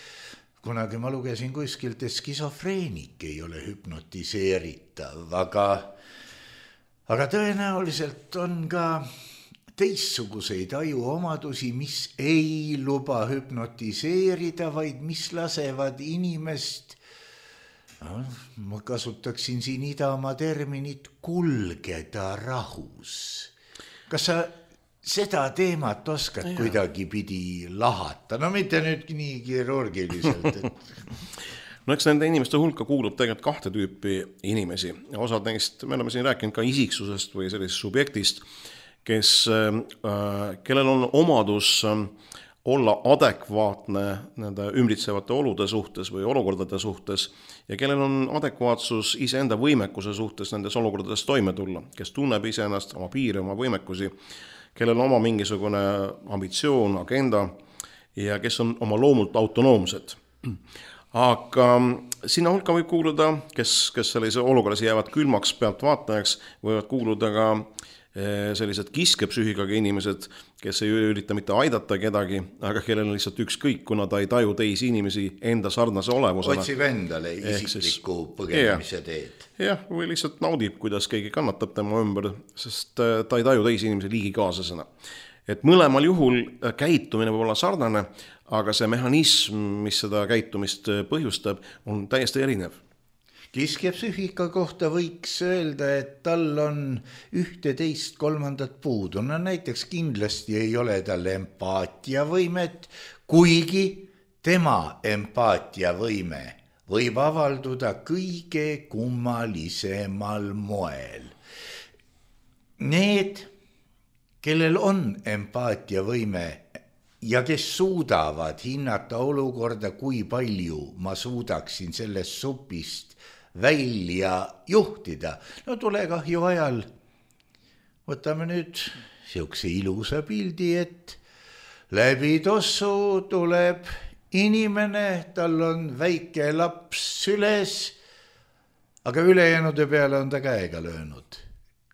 kunagi ma lugesin kuskilt, et skisofreenik ei ole hüpnotiseeritav, aga tõenäoliselt on ka teistsuguseid ajuomadusi, mis ei luba hüpnotiseerida, vaid mis lasevad inimest, ma kasutaksin siin Idamaa terminit, kulgeda rahus. Kas sa seda teemat oskad kuidagi pidi lahata? No mitte nüüd nii kirurgiliselt. No eks nende inimeste hulka kuulub tegelikult kahte tüüpi inimesi. Osad neist, me oleme siin rääkinud ka isiksusest või sellisest subjektist, kellel on omadus olla adekvaatne nende ümbritsevate olude suhtes või olukordade suhtes ja kellel on adekvaatsus iseenda võimekuse suhtes nendes olukordades toime tulla, kes tunneb iseennast, oma piire, oma võimekusi, kellel on oma mingisugune ambitsioon, agenda ja kes on oma loomult autonoomsed. Aga sinna hulka võib kuuluda, kes sellise olukorras jäävad külmaks pealt vaatajaks, võivad kuuluda ka sellised kiskepsühhigaga inimesed, kes ei ürita mitte aidata kedagi, aga kellel on lihtsalt ükskõik, kuna ta ei taju teisi inimesi enda sarnase olevusena. Otsib endale isikliku põgenemise teed. Jah, või lihtsalt naudib, kuidas keegi kannatab tema ümber, sest ta ei taju teisi inimesi liigikaaslasena. Et mõlemal juhul käitumine võib olla sarnane, aga see mehhanism, mis seda käitumist põhjustab, on täiesti erinev. Kiskepsühhika kohta võiks öelda, et tal on 11 kolmandat puudu. No näiteks kindlasti ei ole tal empaatiavõimet, kuigi tema empaatiavõime võib avalduda kõige kummalisemal moel. Need, kellel on empaatiavõime ja kes suudavad hinnata olukorda, kui palju ma suudaksin sellest supist välja juhtida. No tulekahju ajal võtame nüüd siukse ilusa pildi, et läbi tossu tuleb inimene, tal on väike laps süles, aga ülejäänude peale on ta käega löönud.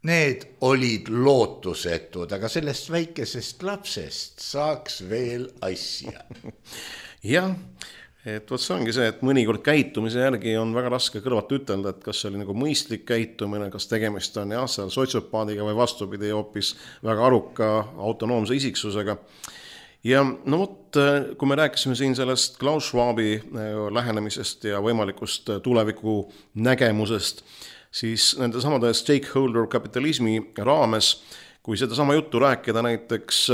Need olid lootusetud, aga sellest väikesest lapsest saaks veel asja. Jah, et võt see ongi see, et mõnikord käitumise järgi on väga raske kõrvalt ütelda, et kas see oli nagu mõistlik käitumine, kas tegemist on seal sotsiopaadiga või vastupidi hoopis väga aruka autonoomse isiksusega. Ja no vot, kui me rääkisime siin sellest Klaus Schwabi lähenemisest ja võimalikust tuleviku nägemusest, siis nende samade stakeholder kapitalismi raames, kui seda sama juttu rääkida näiteks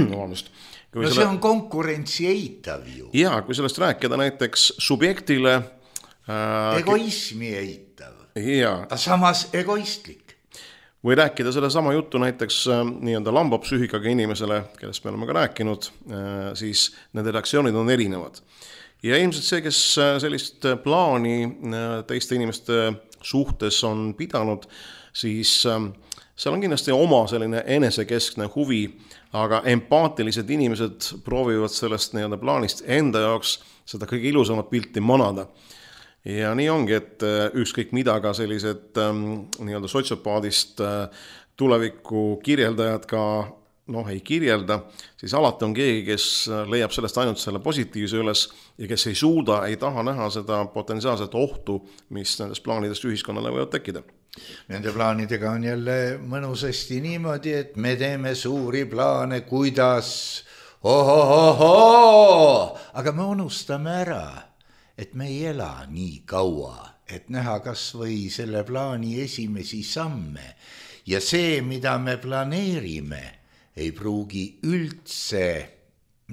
no see on konkurentsi eitav ju. Jaa, kui sellest rääkida näiteks subjektile egoismi eitav. Jaa. Aga samas egoistlik. Või rääkida selle sama juttu näiteks nii-öelda lambapsühhikaga inimesele, kellest me oleme ka rääkinud, siis nende reaktsioonid on erinevad. Ja ilmselt see, kes sellist plaani teiste inimeste suhtes on pidanud, siis seal on kindlasti oma selline enesekeskne huvi, aga empaatilised inimesed proovivad sellest nii-öelda plaanist enda jaoks seda kõige ilusamat pilti manada. Ja nii ongi, et ükskõik mida ka sellised nii-öelda sotsiopaadist tuleviku kirjeldajad ka ei kirjelda, siis alati on keegi, kes leiab sellest ainult selle positiivse üles ja kes ei suuda, ei taha näha seda potentsiaalset ohtu, mis nendest plaanidest ühiskonnale võivad tekkida. Nende plaanidega on jälle mõnusasti niimoodi, et me teeme suuri plaane, kuidas aga me unustame ära, et me ei ela nii kaua, et näha kas või selle plaani esimesi samme ja see, mida me planeerime, ei pruugi üldse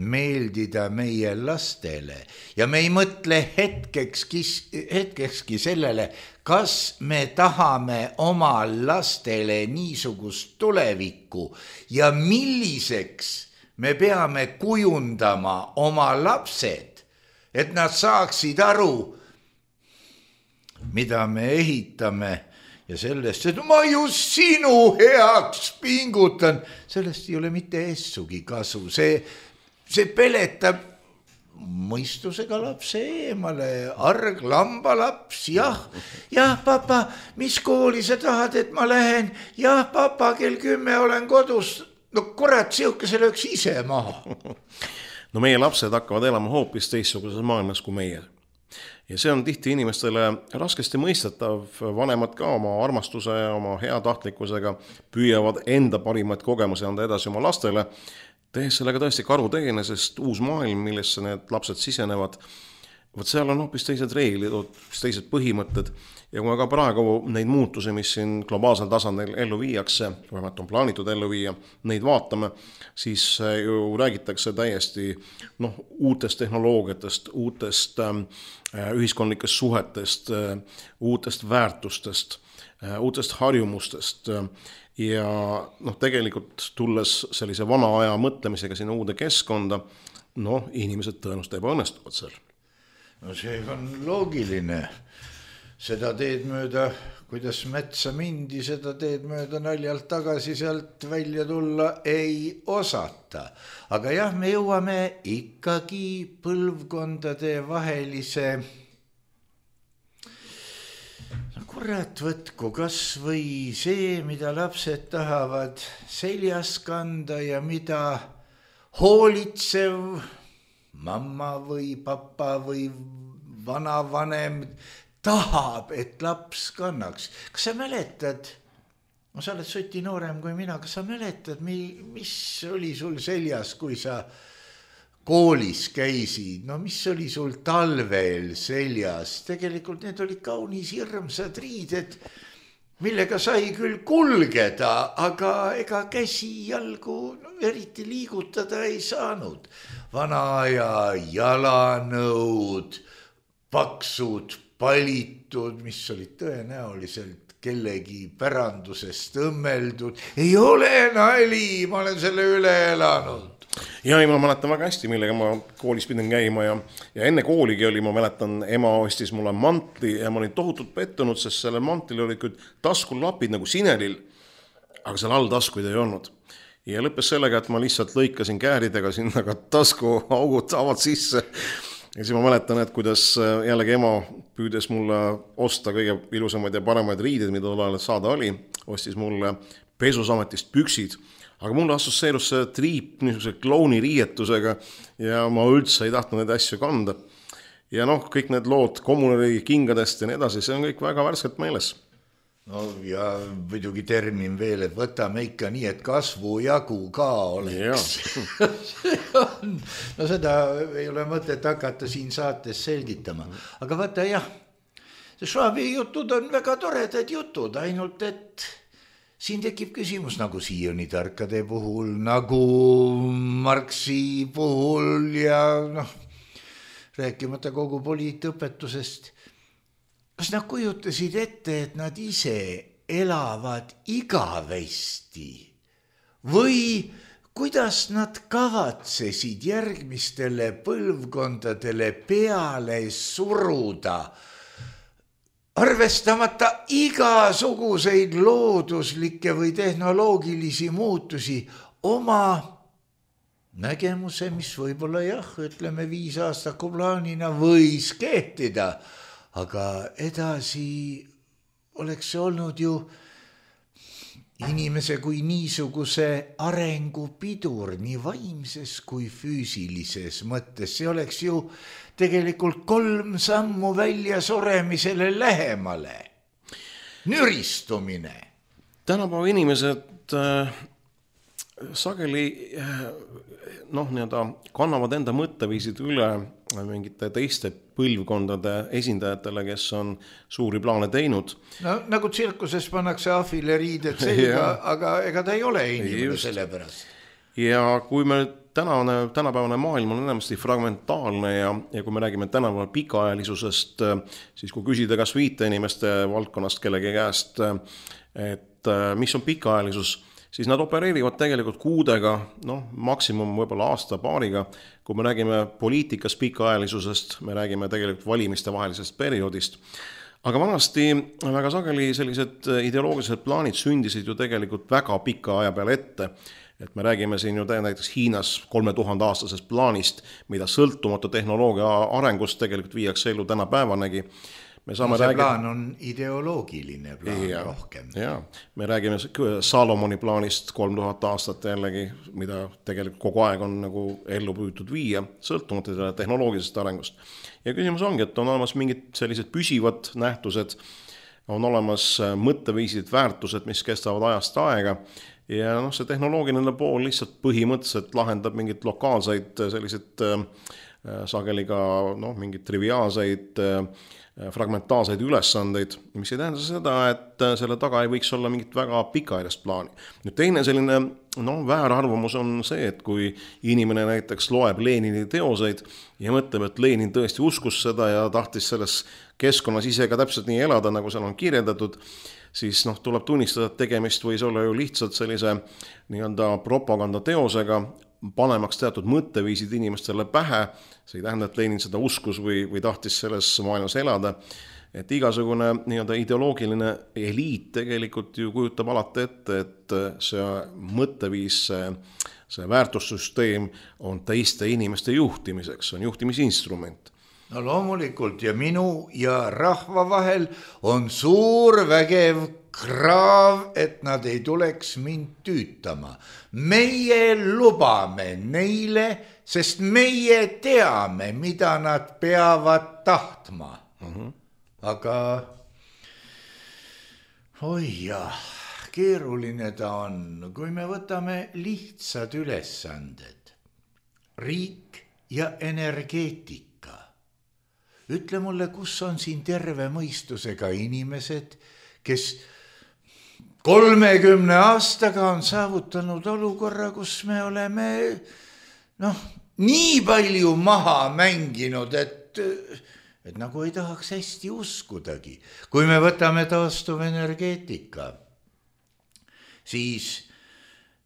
meeldida meie lastele ja me ei mõtle hetkekski sellele, kas me tahame oma lastele niisugust tulevikku ja milliseks me peame kujundama oma lapsed, et nad saaksid aru, mida me ehitame ja sellest, et ma just sinu heaks pingutan, sellest ei ole mitte essugi kasu. See peletab mõistusega lapse eemale, arg lambalaps, jah, papa, mis kooli sa tahad, et ma lähen? Jah, papa, kell 10 olen kodus. No kurat, siukese lööks ise maha. No meie lapsed hakkavad elama hoopis teistsuguses maailmas kui meie. Ja see on tihti inimestele raskesti mõistetav, vanemad ka oma armastuse ja oma heatahtlikkusega püüavad enda parimaid kogemusi anda edasi oma lastele, tehes sellega tõesti karuteene, sest uus maailm, millesse need lapsed sisenevad, seal on hoopis teised reeglid, hoopis teised põhimõtted ja kui me ka praegu neid muutusi, mis siin globaalsel tasandil ellu viiakse, vähemalt on plaanitud ellu viia, neid vaatame, siis ju räägitakse täiesti uutest tehnoloogiatest, uutest ühiskondlikest suhetest, uutest väärtustest, uutest harjumustest ja tegelikult tulles sellise vana aja mõtlemisega sinna uude keskkonda, inimesed tõenäoliselt ebaõnnestuvad seal. No see on loogiline. Seda teed mööda, kuidas metsa mindi, seda teed mööda naljalt tagasi sealt välja tulla ei osata. Aga jah, me jõuame ikkagi põlvkondade vahelise kurat võtku kas või see, mida lapsed tahavad seljas kanda ja mida hoolitsev mamma või papa või vanavanem tahab, et laps kannaks. Kas sa mäletad, sa oled Suti noorem kui mina, kas sa mäletad, mis oli sul seljas, kui sa koolis käisid? No mis oli sul talvel seljas? Tegelikult need olid kaunis hirmsad riided, millega sai küll kulgeda, aga ega käsi jalgu eriti liigutada ei saanud. Vana aja jalanõud, paksud, palitud, mis olid tõenäoliselt kellegi pärandusest õmmeldud. Ei ole nali, ma olen selle üle elanud. Ja ma mäletan väga hästi, millega ma koolis pidin käima ja enne kooligi oli, ma mäletan, ema ostis mulle mantli ja ma olin tohutult pettunud, sest selle mantlil olid küll taskulapid nagu Sinelil, aga seal all taskuid ei olnud. Ja lõppes sellega, et ma lihtsalt lõikasin kääridega sinna ka taskuaugud avad sisse. Ja siis ma mäletan, et kuidas jällegi ema püüdes mulle osta kõige ilusamaid ja paremaid riided, mida tol saada oli, ostis mulle Pesusametist püksid, aga mulle assoseerus see triip niisuguse klouni riietusega ja ma üldse ei tahtnud neid asju kanda. Ja kõik need lood kommunari kingadest ja nii edasi, see on kõik väga värskelt meeles. No ja muidugi termin veel, et võtame ikka nii, et kasvu jagu ka oleks. No seda ei ole mõtet hakata siin saates selgitama. Aga vaata jah, see Schwabi jutud on väga toredad jutud, ainult et siin tekib küsimus nagu Sioni tarkade puhul, nagu Marxi puhul ja rääkimata kogu poliitõpetusest. Kas nad kujutasid ette, et nad ise elavad igavesti või kuidas nad kavatsesid järgmistele põlvkondadele peale suruda, arvestamata igasuguseid looduslikke või tehnoloogilisi muutusi oma nägemuse, mis võib-olla ütleme 5 aastaku plaanina võis kehtida. Aga edasi oleks see olnud ju inimese kui niisuguse arengupidur nii vaimses kui füüsilises mõttes. See oleks ju tegelikult 3 sammu välja suremisele lähemale. Nüristumine. Tänapäeva inimesed sageli kannavad enda mõtteviisid üle mingite teiste põlvkondade esindajatele, kes on suuri plaane teinud. No nagu tsirkuses pannakse ahvile riided selga, aga ega ta ei ole inimene selle pärast. Ja kui me tänapäevane maailm on enamasti fragmentaalne ja kui me räägime tänapäeval pikaajalisusest, siis kui küsida kas 5 inimeste valdkonnast kellegi käest, et mis on pikaajalisus, siis nad opereerivad tegelikult kuudega, maksimum võib-olla aasta-paariga. Kui me räägime poliitikas pikaajalisusest, me räägime tegelikult valimiste vahelisest perioodist. Aga vanasti väga sageli sellised ideoloogilised plaanid sündisid ju tegelikult väga pika aja peale ette. Et me räägime siin ju näiteks Hiinas 3000 aastasest plaanist, mida sõltumatu tehnoloogia arengust tegelikult viiakse ellu tänapäevanegi. Plaan on ideoloogiline plaan rohkem. Ja, me räägime Salomoni plaanist 3000 aastat jällegi, mida tegelikult kogu aeg on nagu ellu püütud viia, sõltumata tehnoloogilisest arengust. Ja küsimus ongi, et on olemas mingid sellised püsivad nähtused, on olemas mõtteviisid, väärtused, mis kestavad ajast aega. Ja see tehnoloogiline pool lihtsalt põhimõtteliselt lahendab mingid lokaalseid sellised sageli ka mingid triviaalseid fragmentaalseid ülesandeid, mis ei tähenda seda, et selle taga ei võiks olla mingit väga pikaajalist plaani. Nüüd teine selline väärarvamus on see, et kui inimene näiteks loeb Lenini teoseid ja mõtleb, et Lenin tõesti uskus seda ja tahtis selles keskkonnas ise ka täpselt nii elada, nagu seal on kirjeldatud, siis tuleb tunnistada, et tegemist võis olla ju lihtsalt sellise propagandateosega, panemaks teatud mõtteviisid inimestele pähe. See ei tähenda, et Lenin seda uskus või tahtis selles maailmas elada. Et igasugune ideoloogiline eliit tegelikult ju kujutab alati ette, et see mõtteviis, see väärtussüsteem on teiste inimeste juhtimiseks, on juhtimisinstrument. No loomulikult ja minu ja rahva vahel on suur vägev kraav, et nad ei tuleks mind tüütama. Meie lubame neile, sest meie teame, mida nad peavad tahtma. Aga keeruline ta on, kui me võtame lihtsad ülesanded. Riik ja energeetika. Ütle mulle, kus on siin terve mõistusega inimesed, kes 30 aastaga on saavutanud olukorra, kus me oleme nii palju maha mänginud, et nagu ei tahaks hästi uskudagi. Kui me võtame taastuvenergeetika, siis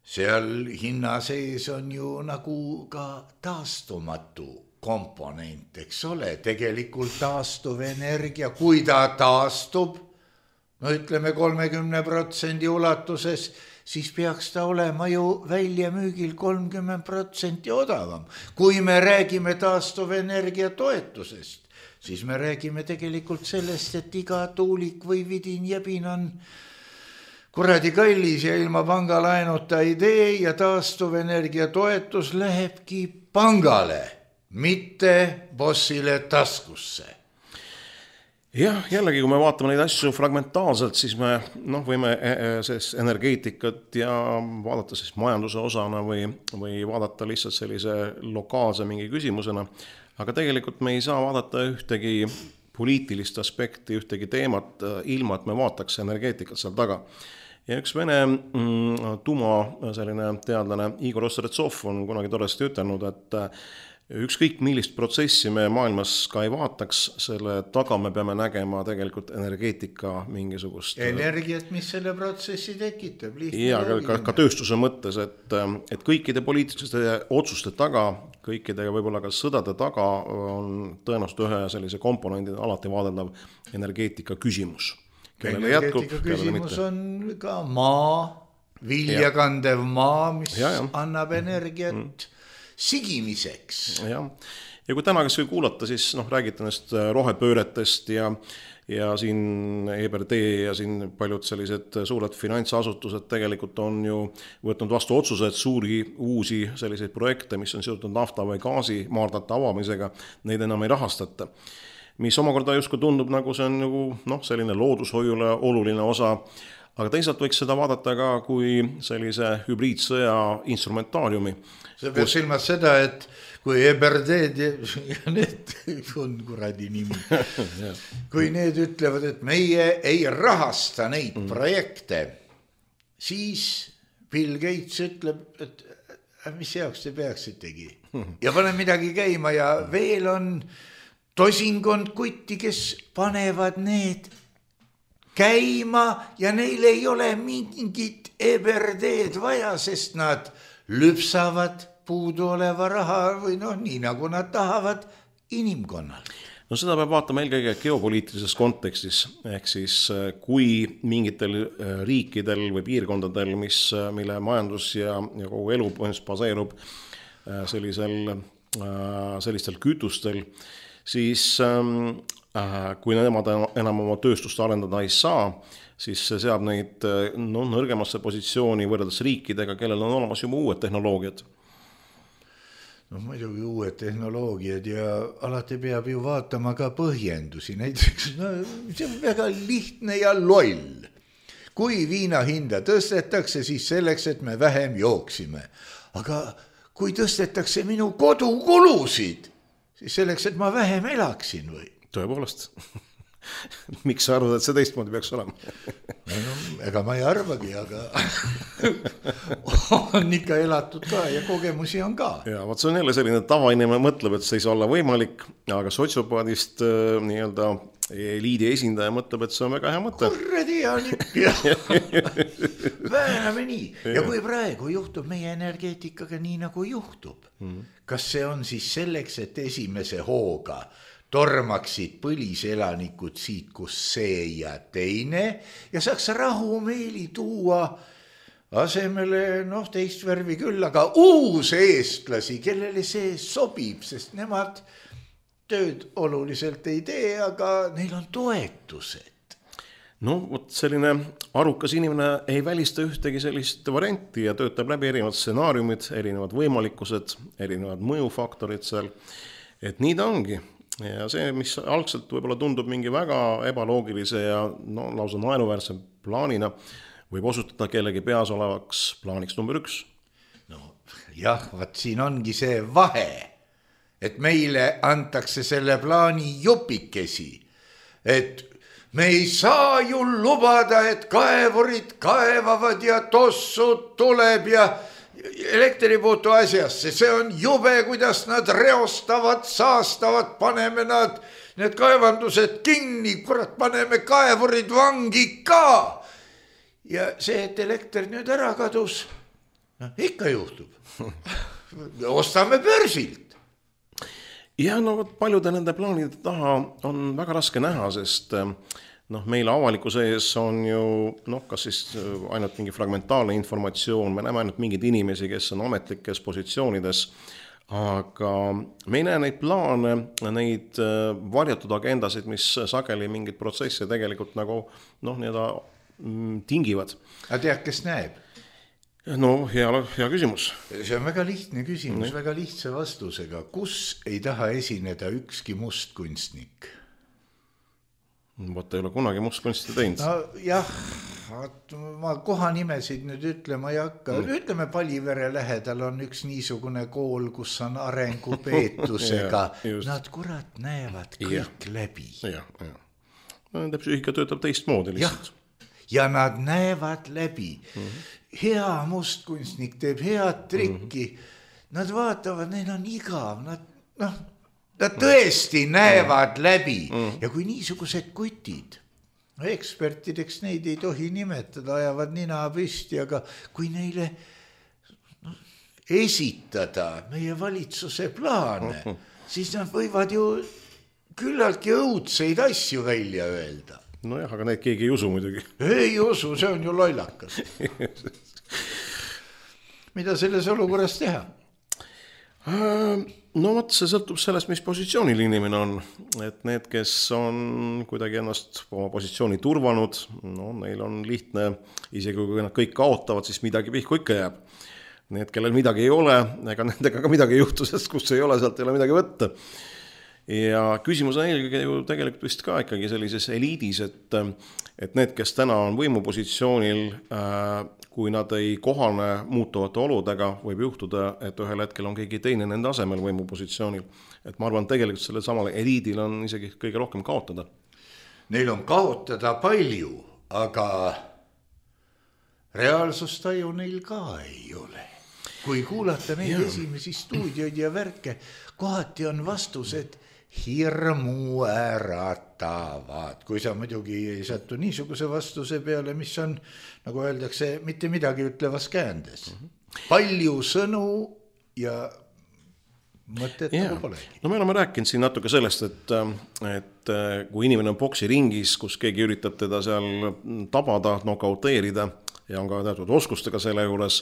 seal hinna sees on ju nagu ka taastumatu komponent, eks ole, tegelikult taastuvenergia, kui ta taastub, ütleme 30% ulatuses, siis peaks ta olema ju väljamüügil 30% odavam. Kui me räägime taastuvenergia toetusest, siis me räägime tegelikult sellest, et iga tuulik või vidin jebin on kuradi kallis ja ilma pangalaenuta ei tee ja taastuvenergia toetus lähebki pangale, mitte bossile taskusse. Jah, jällegi, kui me vaatame neid asju fragmentaalselt, siis me võime energeetikat ja vaadata siis majanduse osana või vaadata lihtsalt sellise lokaalse mingi küsimusena, aga tegelikult me ei saa vaadata ühtegi poliitilist aspekti, ühtegi teemat ilma, et me vaataks energeetikat seal taga. Ja üks Vene selline teadlane Igor Ostretsov on kunagi toresti ütelnud, et ükskõik millist protsessi me maailmas ka ei vaataks, selle taga me peame nägema tegelikult energeetika mingisugust energiat, mis selle protsessi tekitab. Ja ka tööstuse mõttes, et kõikide poliitiliste otsuste taga, kõikide võib-olla ka sõdade taga on tõenäoliselt ühe sellise komponendi alati vaadeldav energeetika küsimus. Energeetika küsimus on ka maa, viljakandev maa, mis annab energiat sigimiseks. Ja. Ja kui täna kas või kuulata, siis räägite nendest rohepööretest ja siin EBRD ja siin paljud sellised suured finantsasutused tegelikult on ju võtnud vastu otsused suuri uusi selliseid projekte, mis on seotud nafta või gaasi maardlate avamisega, neid enam ei rahastata. Mis omakorda justkui tundub, nagu see on nagu selline loodushoiule oluline osa, aga teisalt võiks seda vaadata ka kui sellise hübriidsõja instrumentaariumi. See peab silmas seda, et kui EBRD ja need on kuradi nimi, kui need ütlevad, et meie ei rahasta neid projekte, siis Bill Gates ütleb, et mis jaoks te peaksitegi ja pane midagi käima ja veel on tosinkond kutti, kes panevad need käima ja neil ei ole mingit EBRD-d vaja, sest nad lüpsavad puudu oleva raha või nii nagu nad tahavad inimkonnal. No seda peab vaatama eelkõige geopoliitilises kontekstis, ehk siis kui mingitel riikidel või piirkondadel, mille majandus ja kogu elu baseerub sellistel kütustel, siis kui nemad enam oma tööstust arendada ei saa, siis see seab neid nõrgemasse positsiooni võrreldes riikidega, kellel on olemas juba uued tehnoloogiad. Muidugi uued tehnoloogiad ja alati peab ju vaatama ka põhjendusi. Näiteks see on väga lihtne ja loll. Kui viina hinda tõstetakse, siis selleks, et me vähem jooksime. Aga kui tõstetakse minu kodukulusid, siis selleks, et ma vähem elaksin või? Tõepoolest. Miks sa arvad, et see teistmoodi peaks olema? Ega ma ei arvagi, aga on ikka elatud ka ja kogemusi on ka. Ja vaat see on jälle selline tavainimene mõtleb, et see ei saa olla võimalik, aga sotsiopaadist nii-öelda eliidi esindaja mõtleb, et see on väga hea mõte. Kurredi on ikka. Vääname nii. Ja kui praegu juhtub meie energeetikaga nii nagu juhtub, kas see on siis selleks, et esimese hooga tormaksid põliselanikud siit, kus see ja teine ja saaks rahumeeli tuua asemele teist värvi küll, aga uus eestlasi, kellele see sobib, sest nemad tööd oluliselt ei tee, aga neil on toetused. Vot selline arukas inimene ei välista ühtegi sellist varianti ja töötab läbi erinevad stsenaariumid, erinevad võimalikkused, erinevad mõjufaktorid seal, et nii ta ongi. Ja see, mis algselt võib-olla tundub mingi väga ebaloogilise ja lausa naeruväärse plaanina, võib osutada kellegi peas olevaks plaaniks number 1. Jah, vaat siin ongi see vahe, et meile antakse selle plaani jupikesi, et me ei saa ju lubada, et kaevurid kaevavad ja tossud tuleb ja elektri puutu asjasse, see on jube, kuidas nad reostavad, saastavad, paneme need kaevandused kinni, kurat, paneme kaevurid vangi ka. Ja see, et elekter nüüd ära kadus, ikka juhtub. Ostame börsilt. Ja paljude nende plaanide taha on väga raske näha, sest meil avalikkuse ees on ju kas siis ainult mingi fragmentaalne informatsioon, me näeme ainult mingid inimesi, kes on ametlikes positsioonides, aga me ei näe neid plaane, neid varjatud agendasid, mis sageli mingid protsesse tegelikult nagu tingivad. Aga tead, kes näeb? Hea küsimus. See on väga lihtne küsimus, väga lihtsa vastusega. Kus ei taha esineda ükski mustkunstnik? Võtta ei ole kunagi mustkunsti teinud. Jah, ma kohanimesid nüüd ütlema ei hakka. Ütleme, Palivere lähedal on üks niisugune kool, kus on arengupeetusega. Nad kurat näevad kõik läbi. Nende psüühika töötab teistmoodi lihtsalt. Ja nad näevad läbi. Hea mustkunstnik teeb head trikki. Nad vaatavad, neil on igav. Nad tõesti näevad läbi ja kui niisugused kutid, ekspertideks neid ei tohi nimetada, ajavad nina püsti, aga kui neile esitada meie valitsuse plaane, siis nad võivad ju küllaltki õudseid asju välja öelda. Aga neid keegi ei usu muidugi. Ei usu, see on ju lollakas. Mida selles olukorras teha? No vot, see sõltub sellest, mis positsioonil inimene on. Et need, kes on kuidagi ennast oma positsiooni turvanud, no neil on lihtne, isegi kui nad kõik kaotavad, siis midagi pihku ikka jääb. Need, kellel midagi ei ole, ega nendega ka midagi ei juhtu, sest kus ei ole, sealt ei ole midagi võtta. Ja küsimus on eelkõige ju tegelikult vist ka ikkagi sellises eliidis, et need, kes täna on võimupositsioonil, kui nad ei kohane muutuvate oludega, võib juhtuda, et ühel hetkel on keegi teine nende asemel võimupositsioonil. Et ma arvan, tegelikult selle samale eliidil on isegi kõige rohkem kaotada. Neil on kaotada palju, aga reaalsustaju neil ka ei ole. Kui kuulata neid esimesi stuudioid ja värke, kohati on vastused hirmu äratavad. Kui sa muidugi ei sattu niisuguse vastuse peale, mis on, nagu öeldakse, mitte midagi ütlevas käändes. Palju sõnu ja mõtet nagu polegi. No me oleme rääkinud siin natuke sellest, et kui inimene on boksiringis, kus keegi üritab teda seal tabada, nokauteerida ja on ka teatud oskustega selle juures,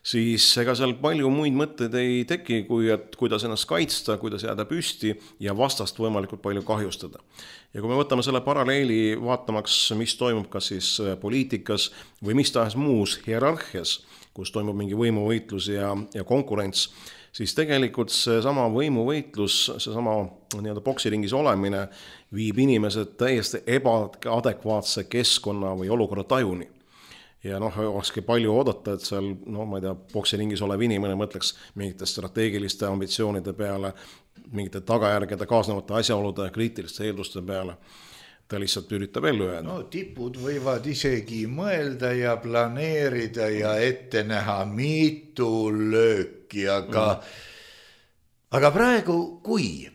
siis ega seal palju muid mõtteid ei teki, kui et kuidas ennast kaitsta, kuidas jääda püsti ja vastast võimalikult palju kahjustada. Ja kui me võtame selle paralleeli vaatamaks, mis toimub kas siis poliitikas või mis tahes muus hierarhias, kus toimub mingi võimuvõitlus ja konkurents, siis tegelikult see sama võimuvõitlus, see sama nii-öelda boksiringis olemine viib inimesed täiesti ebaadekvaatse keskkonna või olukorra tajuni. Ja olekski palju oodata, et seal, ma ei tea, boksiringis olev inimene mõtleks mingite strateegiliste ambitsioonide peale, mingite tagajärgede, kaasnevate asjaolude, kriitiliste eelduste peale. Ta lihtsalt üritab ellu jääda. No tipud võivad isegi mõelda ja planeerida ja ette näha mitu lööki, aga praegu, kui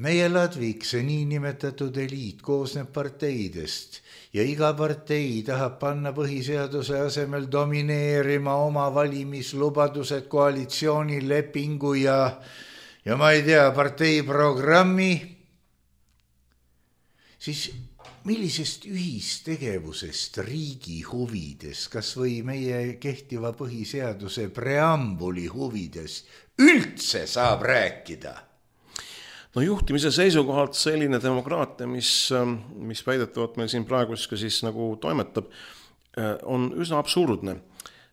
meie Ladvik, see niinimetatud eliit koosneb parteidest ja iga partei tahab panna põhiseaduse asemel domineerima oma valimislubadused, koalitsioonilepingu ja ma ei tea, partei programmi, siis millisest ühistegevusest riigi huvides, kas või meie kehtiva põhiseaduse preambuli huvides üldse saab rääkida? No juhtimise seisukohalt selline demokraatia, mis väidetavalt meil siin praegu siis nagu toimetab, on üsna absurdne,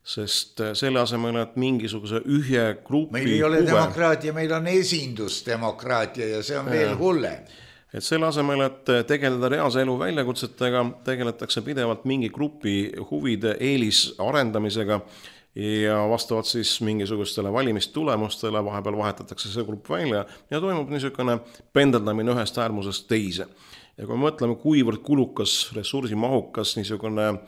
sest selle asemel, et mingisuguse ühe grupi meil ei ole demokraatia, meil on esindusdemokraatia ja see on veel hullem. Et selle asemel, et tegeleda reaalse elu väljakutsetega, tegeletakse pidevalt mingi grupi huvide eelis arendamisega ja vastavalt siis mingisugustele valimistulemustele vahepeal vahetatakse see grupp välja ja toimub niisugune pendeldamine ühest äärmusest teise. Ja kui me mõtleme, kuivõrd kulukas, ressursimahukas niisugune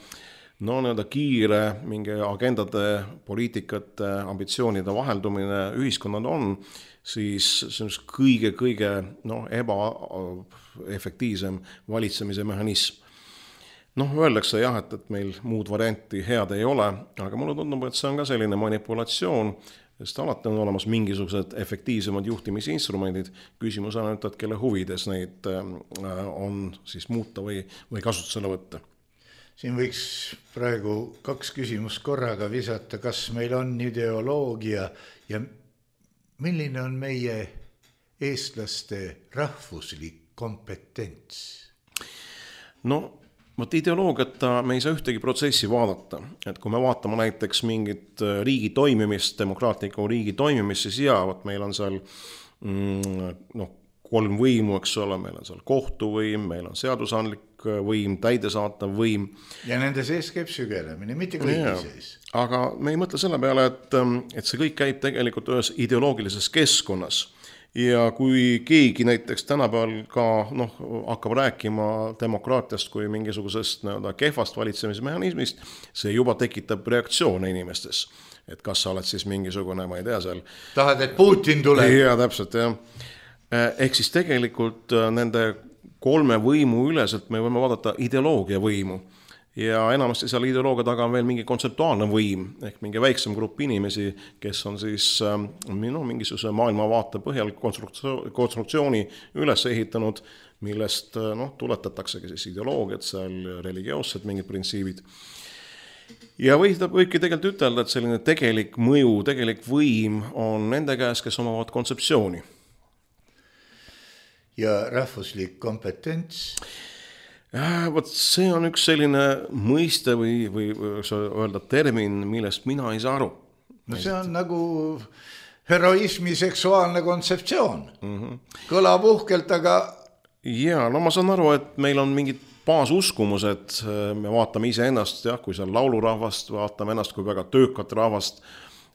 nii-öelda kiire mingi agendade, poliitikate, ambitsioonide vaheldumine ühiskonnad on, siis see on kõige ebaefektiivsem valitsemise mehhanism. Öeldakse jah, et meil muud varianti head ei ole, aga mulle tundub, et see on ka selline manipulatsioon, sest alati on olemas mingisugused efektiivsemad juhtimisinstrumendid. Küsimus on, et kelle huvides neid on siis muuta või kasutusele võtta. Siin võiks praegu 2 küsimust korraga visata, kas meil on ideoloogia ja milline on meie eestlaste rahvuslik kompetents? Ideoloogiata me ei saa ühtegi protsessi vaadata. Et kui me vaatame näiteks mingit riigi toimimist, demokraatliku riigi toimimist, siis meil on seal 3 võimu, eks ole, meil on seal kohtuvõim, meil on seadusandlik võim, täidesaatav võim. Ja nende sees käib sügelemine, mitte kõigi sees. Aga me ei mõtle selle peale, et see kõik käib tegelikult ühes ideoloogilises keskkonnas. Ja kui keegi näiteks tänapäeval ka hakkab rääkima demokraatiast kui mingisugusest kehvast valitsemismehhanismist, see juba tekitab reaktsioone inimestes. Et kas sa oled siis mingisugune, ma ei tea seal. Tahad, et Putin tuleb? Ja täpselt, jah. Ehk siis tegelikult nende 3 võimu üleselt me võime vaadata ideoloogia võimu. Ja enamasti seal ideoloogia taga on veel mingi kontseptuaalne võim, ehk mingi väiksem grupp inimesi, kes on siis mingisuguse maailmavaate põhjal konstruktsiooni üles ehitanud, millest tuletataksegi siis ideoloogiat, seal religioossed mingid printsiibid. ja võibki tegelikult ütelda, et selline tegelik mõju, tegelik võim on nende käes, kes omavad kontseptsiooni. Ja rahvuslik kompetents? Võt see on üks selline mõiste või öelda termin, millest mina ei saa aru. No see on nagu heroismi seksuaalne kontseptsioon. Kõlab uhkelt, aga... Ja, no ma saan aru, et meil on mingid baasuskumused, me vaatame ise ennast, kui seal laulurahvast, vaatame ennast kui väga töökat rahvast.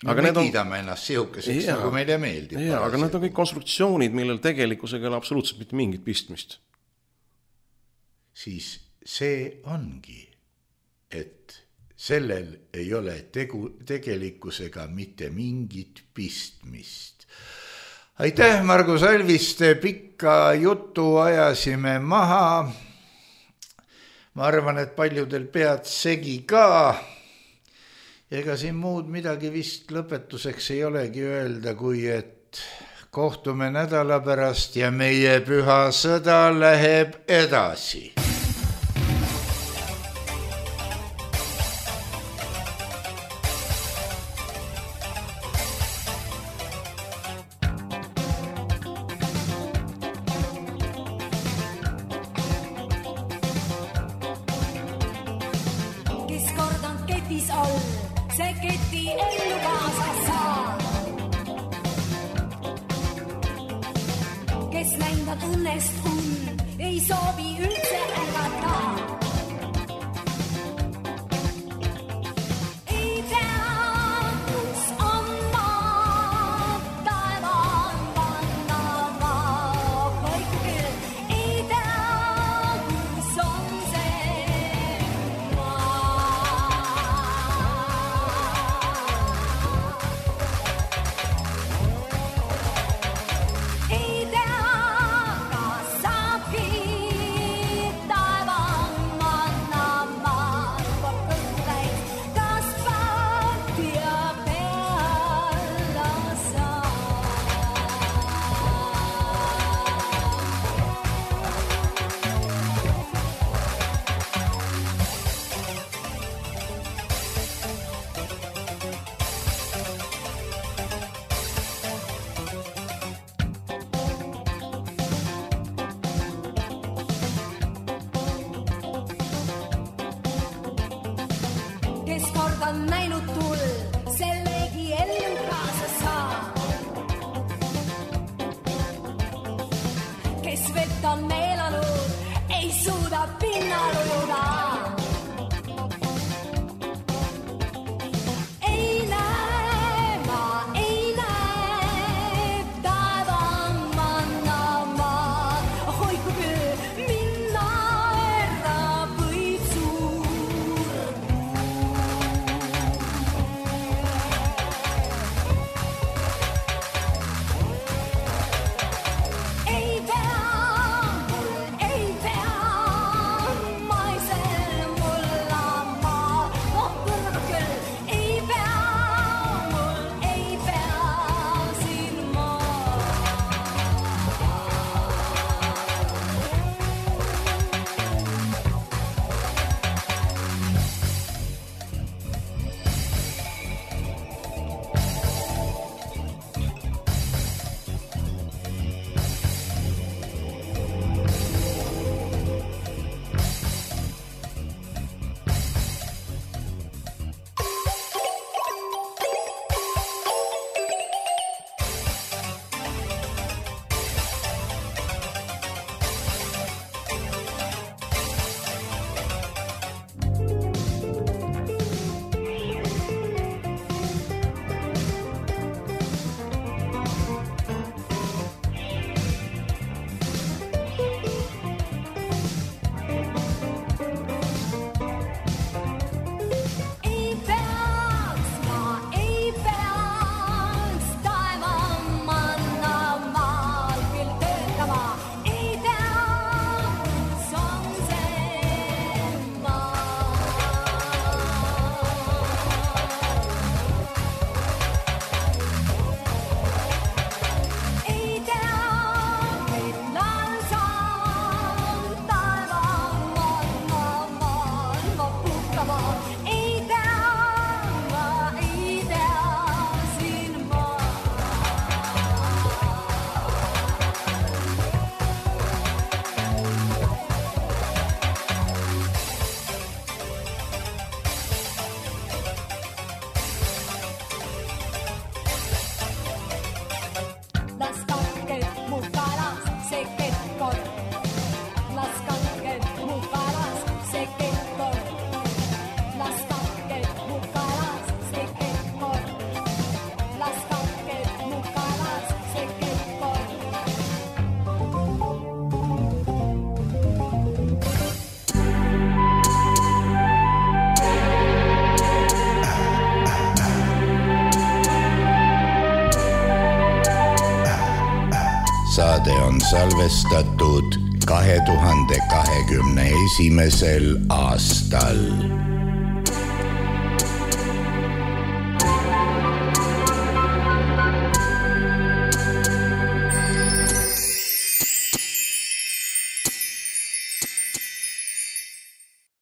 Aga me kiidame ennast sihukeseks, nagu meile meeldib. Aga need on kõik konstruktsioonid, millel tegelikkusega ei ole absoluutselt mitte mingit pistmist. Siis see ongi, et sellel ei ole tegelikkusega mitte mingit pistmist. Aitäh, Margus Alviste, pikka jutu ajasime maha. Ma arvan, et paljudel pead segi ka. Ega siin muud midagi vist lõpetuseks ei olegi öelda, kui et kohtume nädala pärast ja meie püha sõda läheb edasi. saade on salvestatud 2021. aastal.